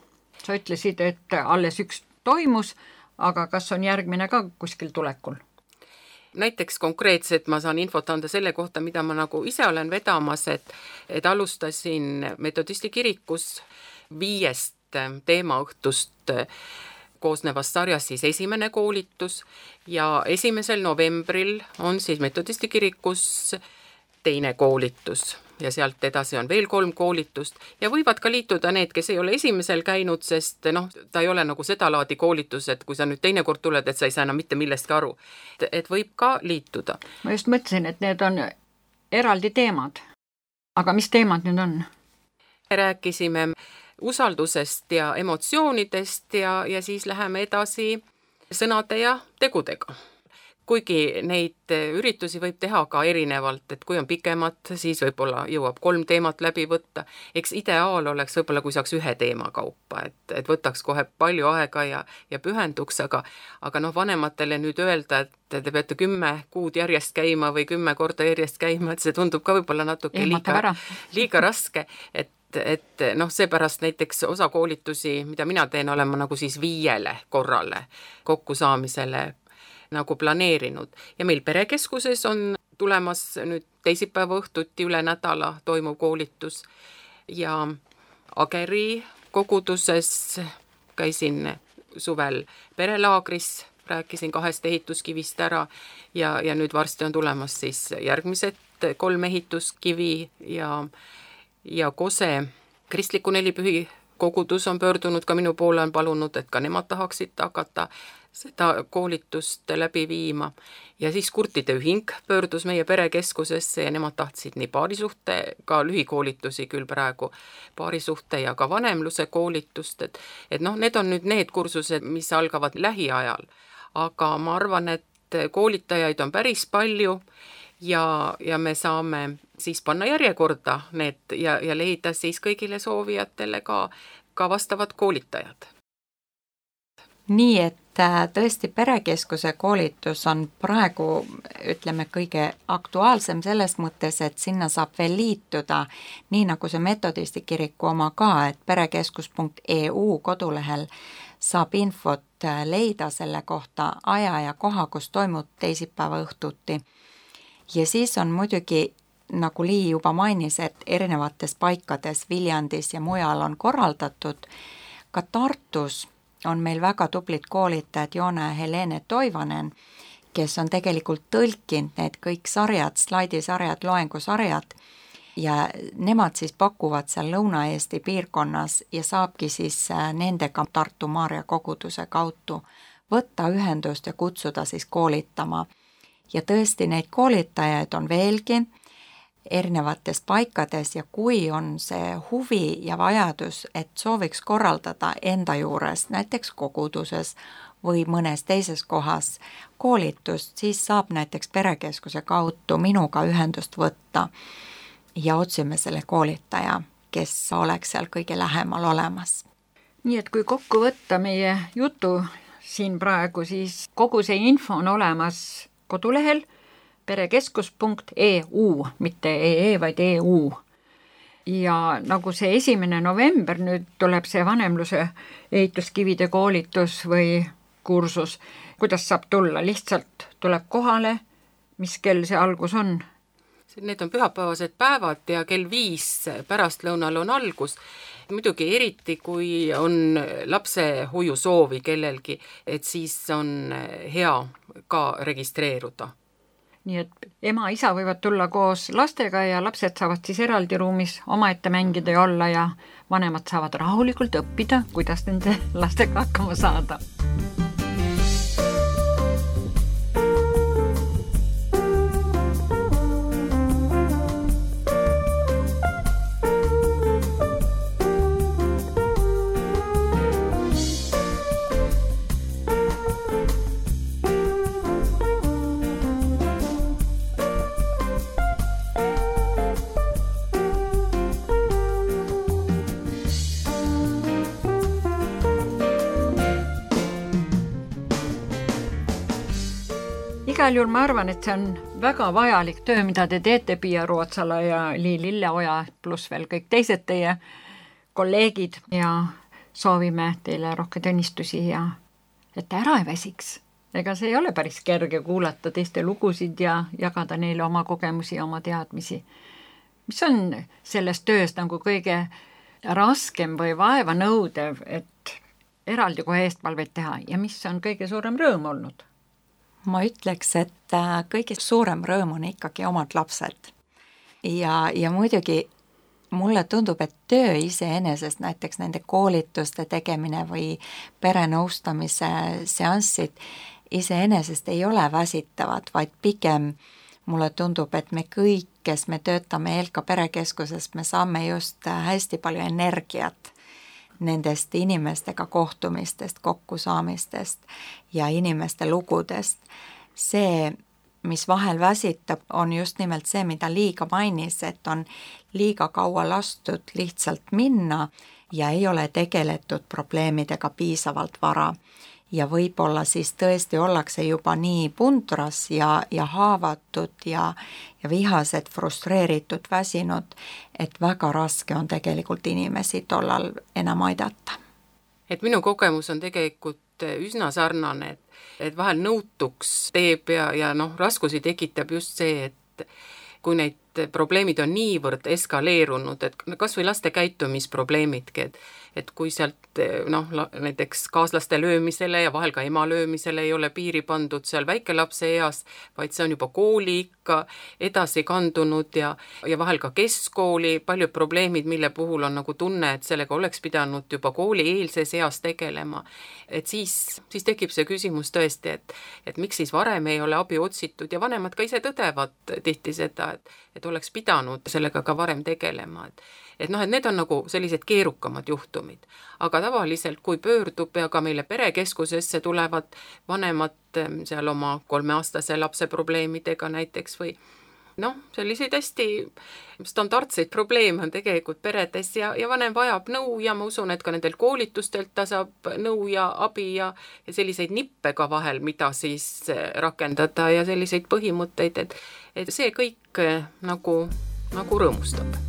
Sa ütlesid, et alles üks toimus, aga kas on järgmine ka kuskil tulekul? Näiteks konkreetselt ma saan infot anda selle kohta, mida ma nagu ise olen vedamas, et alustasin metodisti kirikus 5 teemaõhtust koosnevast sarjast siis esimene koolitus ja 1. novembril on siis Metodisti kirikus teine koolitus ja sealt edasi on veel 3 koolitust ja võivad ka liituda need, kes ei ole esimesel käinud, sest ta ei ole nagu seda laadi koolitus, et kui sa nüüd teine kord tuled, et sa ei saa enam mitte millestki aru. Et võib ka liituda. Ma just mõtlesin, et need on eraldi teemad. Aga mis teemad nüüd on? Rääkisime usaldusest ja emotsioonidest ja siis läheme edasi sõnade ja tegudega. Kuigi neid üritusi võib teha ka erinevalt, et kui on pikemad, siis võib-olla jõuab 3 teemat läbi võtta. Eks ideaal oleks võib-olla, kui saaks 1 teema kaupa, et võtaks kohe palju aega ja pühenduks, aga vanematele nüüd öelda, et te peate 10 kuud järjest käima või 10 korda järjest käima, et see tundub ka võib-olla natuke liiga raske, et seepärast näiteks osa koolitusi, mida mina teen, olen ma nagu siis 5 korrale kokkusaamisele nagu planeerinud. Ja meil perekeskuses on tulemas nüüd teisipäeva õhtuti üle nädala toimuv koolitus ja Ageri koguduses käisin suvel perelaagris, rääkisin 2 ehituskivist ära ja nüüd varsti on tulemas siis järgmised 3 ehituskivi ja Kose kristliku nelipühi kogudus on pöördunud ka minu poole, on palunud, et ka nemad tahaksid hakata seda koolitust läbi viima. Ja siis kurtide ühing pöördus meie perekeskusesse ja nemad tahtsid nii paarisuhte, ka lühikoolitusi küll praegu, paarisuhte ja ka vanemluse koolitust, et need on nüüd need kursused, mis algavad lähiajal. Aga ma arvan, et koolitajaid on päris palju ja me saame siis panna järjekorda need ja leida siis kõigile soovijatele ka vastavad koolitajad. Nii, et tõesti perekeskuse koolitus on praegu, ütleme, kõige aktuaalsem selles mõttes, et sinna saab veel liituda, nii nagu see Metodisti kiriku oma ka, et perekeskus.eu kodulehel saab infot leida selle kohta aja ja koha, kus toimub teisipäeva õhtuti. Ja siis on muidugi, nagu Lii juba mainis, et erinevates paikades Viljandis ja mujal on korraldatud, ka Tartus on meil väga tublid koolitajad Joona ja Helene Toivanen, kes on tegelikult tõlkinud need kõik sarjad, slaidisarjad, loengusarjad ja nemad siis pakuvad seal Lõuna-Eesti piirkonnas ja saabki siis nendega Tartu Maarja koguduse kaudu võtta ühendust ja kutsuda siis koolitama. Ja tõesti neid koolitajaid on veelgi erinevates paikades ja kui on see huvi ja vajadus, et sooviks korraldada enda juures, näiteks koguduses või mõnes teises kohas koolitust, siis saab näiteks perekeskuse kaudu minuga ühendust võtta ja otsime selle koolitaja, kes oleks seal kõige lähemal olemas. Nii et kui kokku võtta meie jutu siin praegu, siis kogu see info on olemas kodulehel perekeskus.eu, mitte EE, vaid EU. Ja nagu see 1. november nüüd tuleb see vanemluse ehituskivide koolitus või kursus, kuidas saab tulla? Lihtsalt tuleb kohale, mis kell see algus on? Need on pühapäevased päevad ja kell 5 pärastlõunal on algus. Muidugi eriti, kui on lapse hoiusoovi kellelgi, et siis on hea ka registreeruda. Nii et ema, isa võivad tulla koos lastega ja lapsed saavad siis eraldi ruumis omaette mängida ja olla ja vanemad saavad rahulikult õppida, kuidas nende lastega hakkama saada. Igal juhul ma arvan, et see on väga vajalik töö, mida te teete Pia Rootsala ja Lii Lilleoja pluss veel kõik teised teie kolleegid ja soovime teile rohkem õnnistusi ja et ära ei väsiks. Ega see ei ole päris kerge kuulata teiste lugusid ja jagada neile oma kogemusi ja oma teadmisi. Mis on selles töös nagu kõige raskem või vaevanõudev, et eraldi kohe eestpalvet teha ja mis on kõige suurem rõõm olnud? Ma ütleks, et kõige suurem rõõm on ikkagi omad lapsed. Ja muidugi mulle tundub, et töö iseenesest, näiteks nende koolituste tegemine või perenõustamise seanssid iseenesest ei ole väsitavad, vaid pigem mulle tundub, et me kõik, kes me töötame ELKA perekeskuses, me saame just hästi palju energiat nendest inimestega kohtumistest, kokkusaamistest ja inimeste lugudest. See, mis vahel väsitab, on just nimelt see, mida Liiga mainis, et on liiga kaua lastud lihtsalt minna ja ei ole tegeletud probleemidega piisavalt vara. Ja võib-olla siis tõesti ollakse juba nii pundras ja haavatud ja vihased, frustreeritud, väsinud, et väga raske on tegelikult inimesi tollal enam aidata. Et minu kogemus on tegelikult üsna sarnane, et vahel nõutuks teeb ja raskusi tekitab just see, et kui neid probleemid on niivõrd eskaleerunud, et kas või laste käitumisprobleemidki, et kui sealt näiteks kaaslaste löömisele ja vahel ka ema löömisele ei ole piiri pandud seal väikelapse eas, vaid see on juba kooli ikka edasi kandunud ja vahel ka keskkooli paljud probleemid, mille puhul on nagu tunne, et sellega oleks pidanud juba koolieelses eas tegelema. Et siis tekib see küsimus tõesti, et miks siis varem ei ole abi otsitud ja vanemad ka ise tõdevad tihti seda, et oleks pidanud sellega ka varem tegelema. Et need on nagu sellised keerukamad juhtumid, aga tavaliselt kui pöördub ja ka meile perekeskusesse tulevad vanemad seal oma 3-aastase lapse probleemidega näiteks või selliseid hästi standardseid probleeme on tegelikult peredes ja vanem vajab nõu ja ma usun, et ka nendel koolitustelt ta saab nõu ja abi ja selliseid nippe ka vahel, mida siis rakendada ja selliseid põhimõtteid, et see kõik nagu rõõmustab.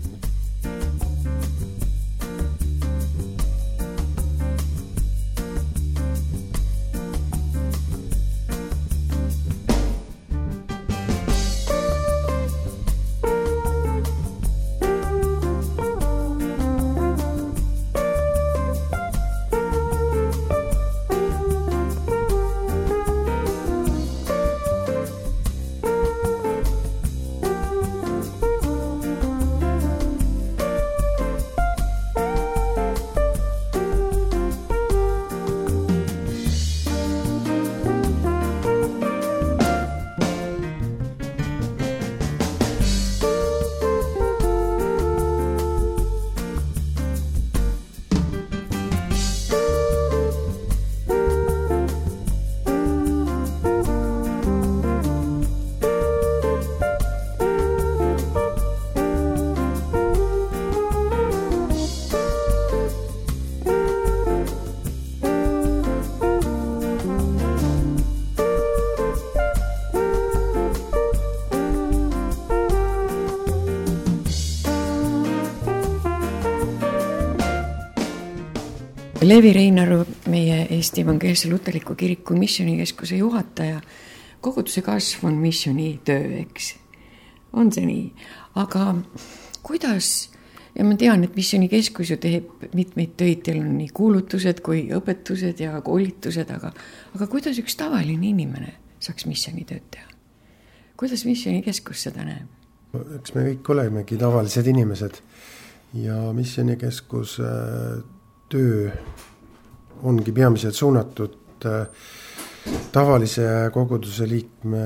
Levi Reinaru, meie Eesti Evangeelse Luterliku Kiriku missionikeskuse juhataja, koguduse kasv on missionitöö, eks? On see nii? Aga kuidas, ja ma tean, et missionikeskus ju teeb mitmeid töid, teil on nii kuulutused kui õpetused ja koolitused, aga kuidas üks tavaline inimene saaks missionitööd teha? Kuidas missionikeskus seda näeb? Eks me kõik olemegi tavalised inimesed ja missionikeskus töö ongi peamiselt suunatud tavalise koguduse liikme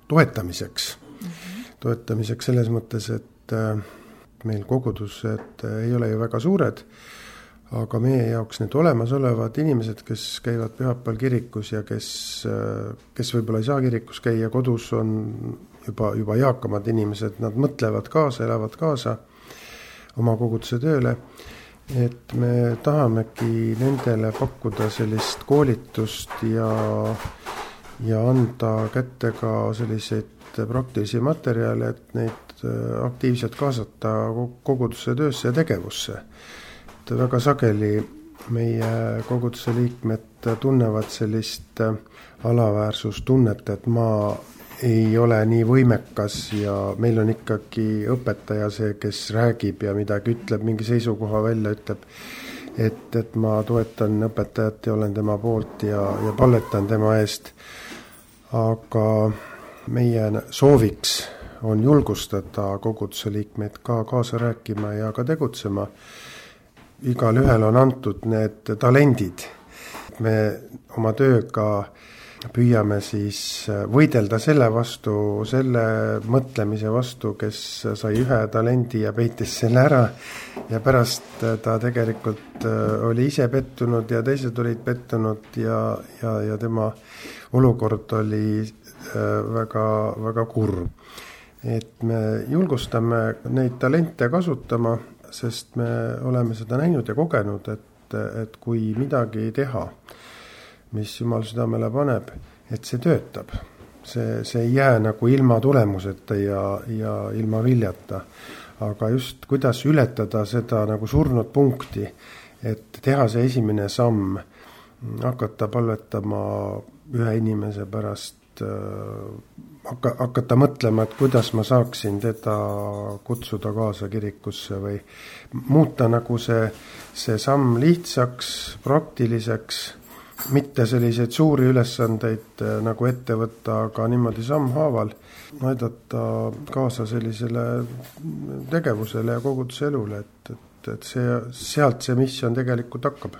toetamiseks. Toetamiseks selles mõttes, et meil kogudused ei ole ju väga suured, aga meie jaoks need olemasolevad inimesed, kes käivad pühapäeval kirikus ja kes võib-olla ei saa kirikus käia, kodus on juba eakamad inimesed, nad mõtlevad kaasa, elavad kaasa oma koguduse tööle. Et me tahamegi nendele pakkuda sellist koolitust ja anda kätte ka selliseid praktilisi materjale, et neid aktiivselt kaasata koguduse töösse ja tegevusse. Et väga sageli meie koguduse liikmed tunnevad sellist alaväärsustunnet, et ma ei ole nii võimekas ja meil on ikkagi õpetaja see, kes räägib ja midagi ütleb, mingi seisukoha välja ütleb, et ma toetan õpetajat ja olen tema poolt ja palvetan tema eest. Aga meie sooviks on julgustada koguduse liikmeid ka kaasa rääkima ja ka tegutsema. Igal ühel on antud need talendid. Me oma tööga püüame siis võidelda selle vastu, selle mõtlemise vastu, kes sai ühe talendi ja peitis selle ära ja pärast ta tegelikult oli ise pettunud ja teised olid pettunud ja tema olukord oli väga, väga kurb. Et me julgustame neid talente kasutama, sest me oleme seda näinud ja kogenud, et kui midagi teha, mis Jumal südamele paneb, et see töötab. See ei jää nagu ilma tulemuseta ja ilma viljata. Aga just kuidas ületada seda nagu surnud punkti, et teha see esimene samm, hakata palvetama ühe inimese pärast, hakata mõtlema, et kuidas ma saaksin teda kutsuda kaasa kirikusse või muuta nagu see samm lihtsaks, praktiliseks, mitte selliseid suuri ülesandeid nagu ette võtta, aga niimoodi sammhaaval aidata kaasa sellisele tegevusele ja koguduse elule, et sealt see missioon tegelikult hakkab.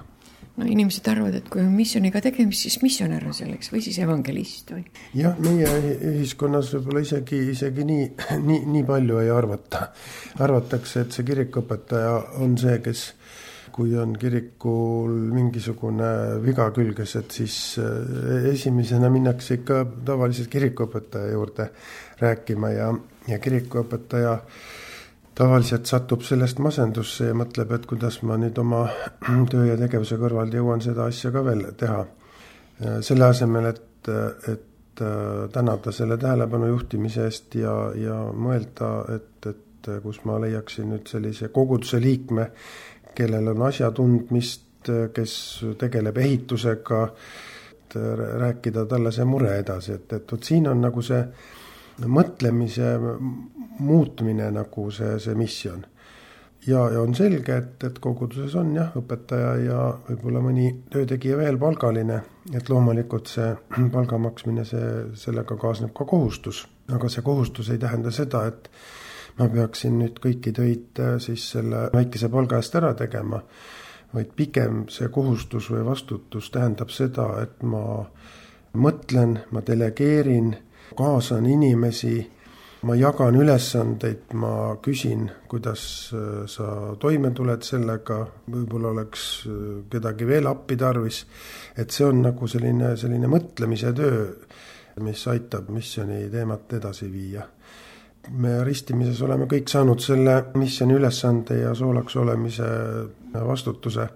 No inimesed arvavad, et kui on missiooniga tegemist, siis missionär on selleks või siis evangelist või? Jah, meie ühiskonnas võib-olla isegi nii palju ei arvata. Arvatakse, et see kirikuõpetaja on see, kes kui on kirikul mingisugune viga külges, et siis esimesena minnakse ikka tavaliselt kirikuõpetaja juurde rääkima ja kirikuõpetaja tavaliselt satub sellest masendusse ja mõtleb, et kuidas ma nüüd oma töö ja tegevuse kõrval jõuan seda asja ka veel teha. Selle asemel, et tänada selle tähelepanu juhtimise eest ja mõelda, et kus ma leiaksin nüüd sellise koguduse liikme, kellel on asjatundmist, kes tegeleb ehitusega, rääkida talle see mure edasi, et siin on nagu see mõtlemise muutmine nagu see missioon. Ja on selge, et koguduses on õpetaja ja võib-olla mõni töötegija veel palgaline, et loomulikult see palga maksmine, sellega kaasneb ka kohustus. Aga see kohustus ei tähenda seda, et ma peaksin nüüd kõiki töid siis selle väikese palga eest ära tegema, vaid pigem see kohustus või vastutus tähendab seda, et ma mõtlen, ma delegeerin, kaasan inimesi, ma jagan ülesandeid, ma küsin, kuidas sa toime tuled sellega, võib-olla oleks kedagi veel appi tarvis, et see on nagu selline mõtlemise töö, mis aitab missiooni teemat edasi viia. Me ristimises oleme kõik saanud selle missiooni ülesande ja soolaks olemise vastutuse,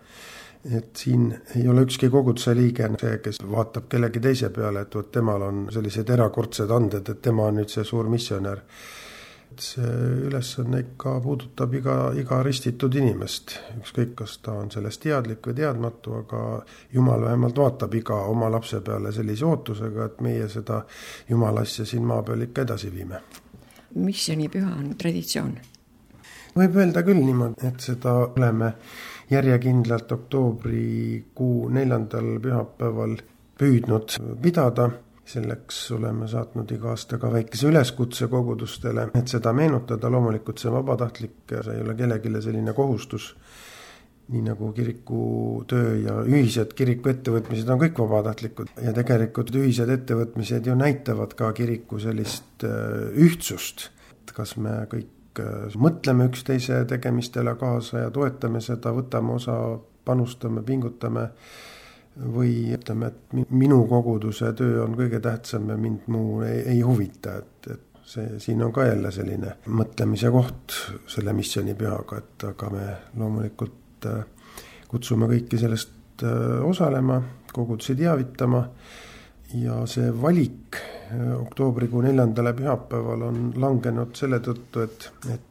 et siin ei ole ükski koguduse liige see, kes vaatab kellegi teise peale, et temal on sellised erakordsed anded, et tema on nüüd see suur missionär. See ülesanne ikka puudutab iga ristitud inimest, ükskõik kas ta on sellest teadlik või teadmatu, aga Jumal vähemalt vaatab iga oma lapse peale sellise ootusega, et meie seda Jumala asja siin maa peal ikka edasi viime. Missionipüha on traditsioon. Võib öelda küll niimoodi, et seda oleme järjekindlalt oktoobrikuu 4. pühapäeval püüdnud pidada. Selleks oleme saatnud iga aasta ka väikese üleskutse kogudustele, et seda meenutada. Loomulikult see vabatahtlik, see ei ole kellelegi selline kohustus. Nii nagu kiriku töö ja ühised kiriku ettevõtmised on kõik vabatahtlikud. Ja tegelikult ühised ettevõtmised ju näitavad ka kiriku sellist ühtsust. Kas me kõik mõtleme üksteise tegemistele kaasa ja toetame seda, võtame osa, panustame, pingutame või ütleme, et minu koguduse töö on kõige tähtsam ja mind muu ei huvita, et siin on ka jälle selline mõtlemise koht selle missioonipühaga, et aga me loomulikult kutsume kõiki sellest osalema, kogudusi teavitama ja see valik oktoobrikuu 4. pühapäeval on langenud selle tõttu, et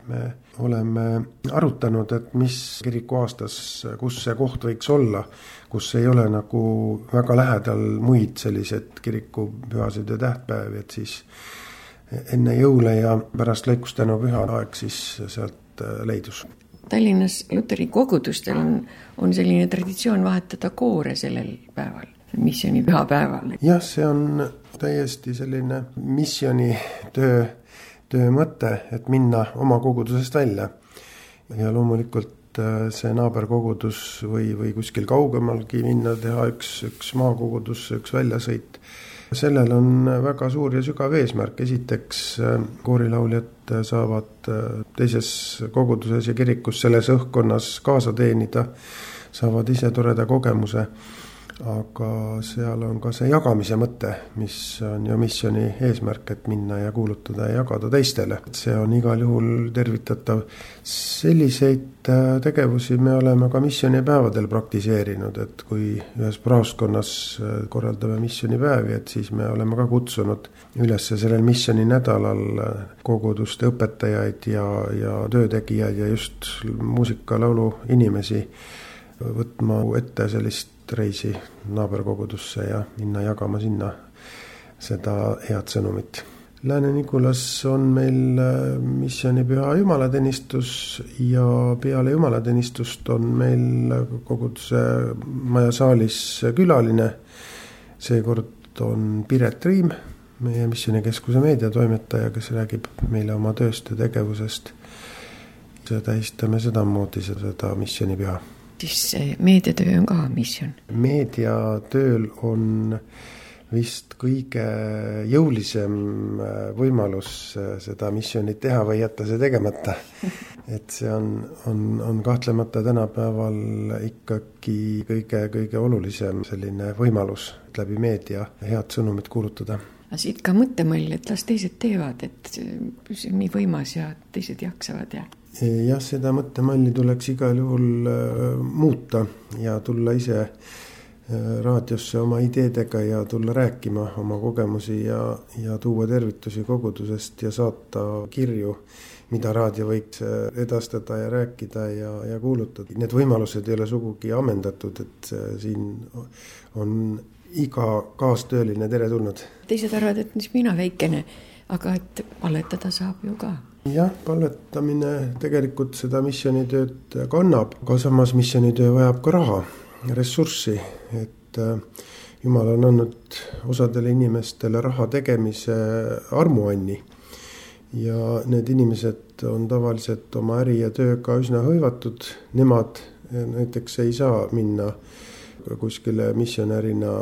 me oleme arutanud, et mis kiriku aastas, kus see koht võiks olla, kus ei ole nagu väga lähedal muid sellised kirikupühasid ja tähtpäevi, et siis enne jõule ja pärast lõikustänu püha aeg siis sealt leidus. Tallinnas luteri kogudustel on selline traditsioon vahetada koore sellel päeval, missiooni pühapäeval. Jah, see on täiesti selline missiooni töö mõte, et minna oma kogudusest välja. Ja loomulikult see naaberkogudus või kuskil kaugemalgi minna, teha üks maakogudus, üks väljasõit. Sellel on väga suur ja sügav eesmärk. Esiteks koorilauljad saavad teises koguduses ja kirikus selles õhkkonnas kaasa teenida, saavad ise toreda kogemuse, aga seal on ka see jagamise mõte, mis on ju missiooni eesmärk, et minna ja kuulutada ja jagada teistele. See on igal juhul tervitatav. Selliseid tegevusi me oleme ka missioonipäevadel praktiseerinud, et kui ühes praoskonnas korraldame missioonipäevi, et siis me oleme ka kutsunud üles sellel missiooni nädalal koguduste õpetajaid ja töötegijaid ja just muusikalaulu inimesi võtma ette sellist reisi naaberkogudusse ja minna jagama sinna seda head sõnumit. Lääne-Nigulas on meil missioonipüha jumalateenistus ja peale jumalateenistust on meil koguduse maja saalis külaline. Seekord on Piret Riim, meie missioonikeskuse meediatoimetaja, kes räägib meile oma tööst ja tegevusest. Tähistame sedamoodi seda missioonipüha. Siis meediatöö on ka missioon? Meediatööl on vist kõige jõulisem võimalus seda missioonit teha või jätta see tegemata. Et see on kahtlemata tänapäeval ikkagi kõige olulisem selline võimalus läbi meedia head sõnumit kuulutada. Aga siit ka mõttemall, et las teised teevad, et see on nii võimas ja teised jaksavad ja... Jah, seda mõttemalli tuleks igal juhul muuta ja tulla ise raadiosse oma ideedega ja tulla rääkima oma kogemusi ja tuua tervitusi kogudusest ja saata kirju, mida raadio võiks edastada ja rääkida ja kuulutada. Need võimalused ei ole sugugi ammendatud, et siin on iga kaastööline teretulnud. Teised arvad, et mis mina väikene, aga et palvetada saab ju ka. Jah, palvetamine tegelikult seda missioonitööd kannab, aga samas missioonitöö vajab ka raha, ressurssi, et Jumal on andnud osadele inimestele raha tegemise armuanni ja need inimesed on tavaliselt oma äri ja tööga üsna hõivatud. Nemad näiteks ei saa minna kuskile missionärina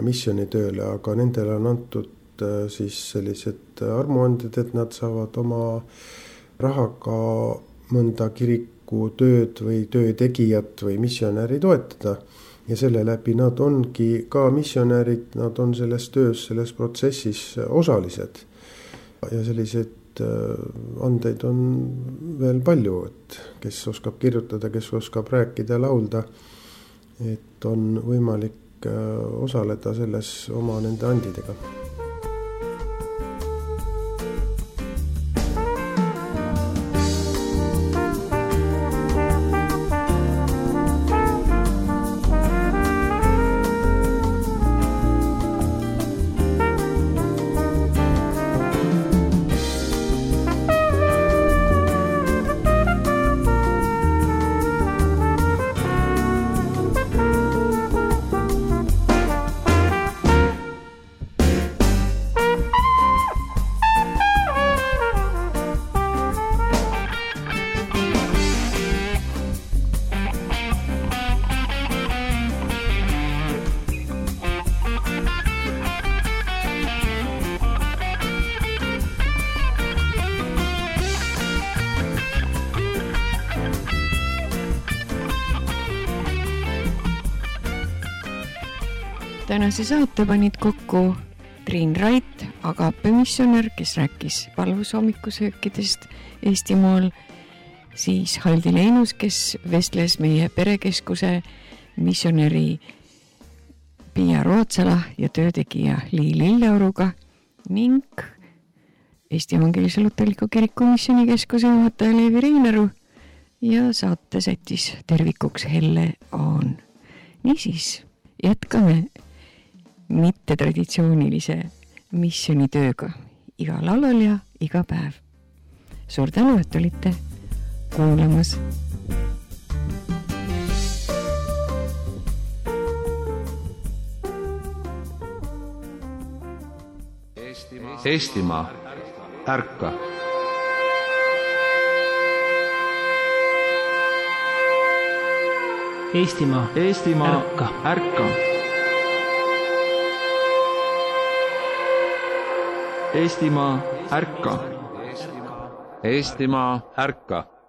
missioonitööle, aga nendele on antud siis sellised armuanded, et nad saavad oma rahaga mõnda kiriku tööd või töötegijat või missionäri toetada. Ja selle läbi nad ongi ka missionärid, nad on selles töös, selles protsessis osalised. Ja selliseid andeid on veel palju, et kes oskab kirjutada, kes oskab rääkida ja laulda, et on võimalik osaleda selles oma nende andidega. Tänase saate panid kokku Triin Rait, agapemissionär, kes rääkis palvusoomikusöökidest Eestimaal, siis Haldi Leinus, kes vestles meie perekeskuse missionäri Pia Rootsala ja töötegija Lii Lilleoruga ning Eesti Evangeelse Luterliku Kiriku Missionikeskuse juhataja Leevi Reinaru ja saate sättis tervikuks Helle Aan. Niisiis, jätkame mittetraditsioonilise missionitööga iga laulal ja iga päev. Suur tänu, et olite kuulamas. Eestimaa, ärka! Eestimaa, Eestimaa, ärka! Eestimaa, ärka! Eestimaa, ärka!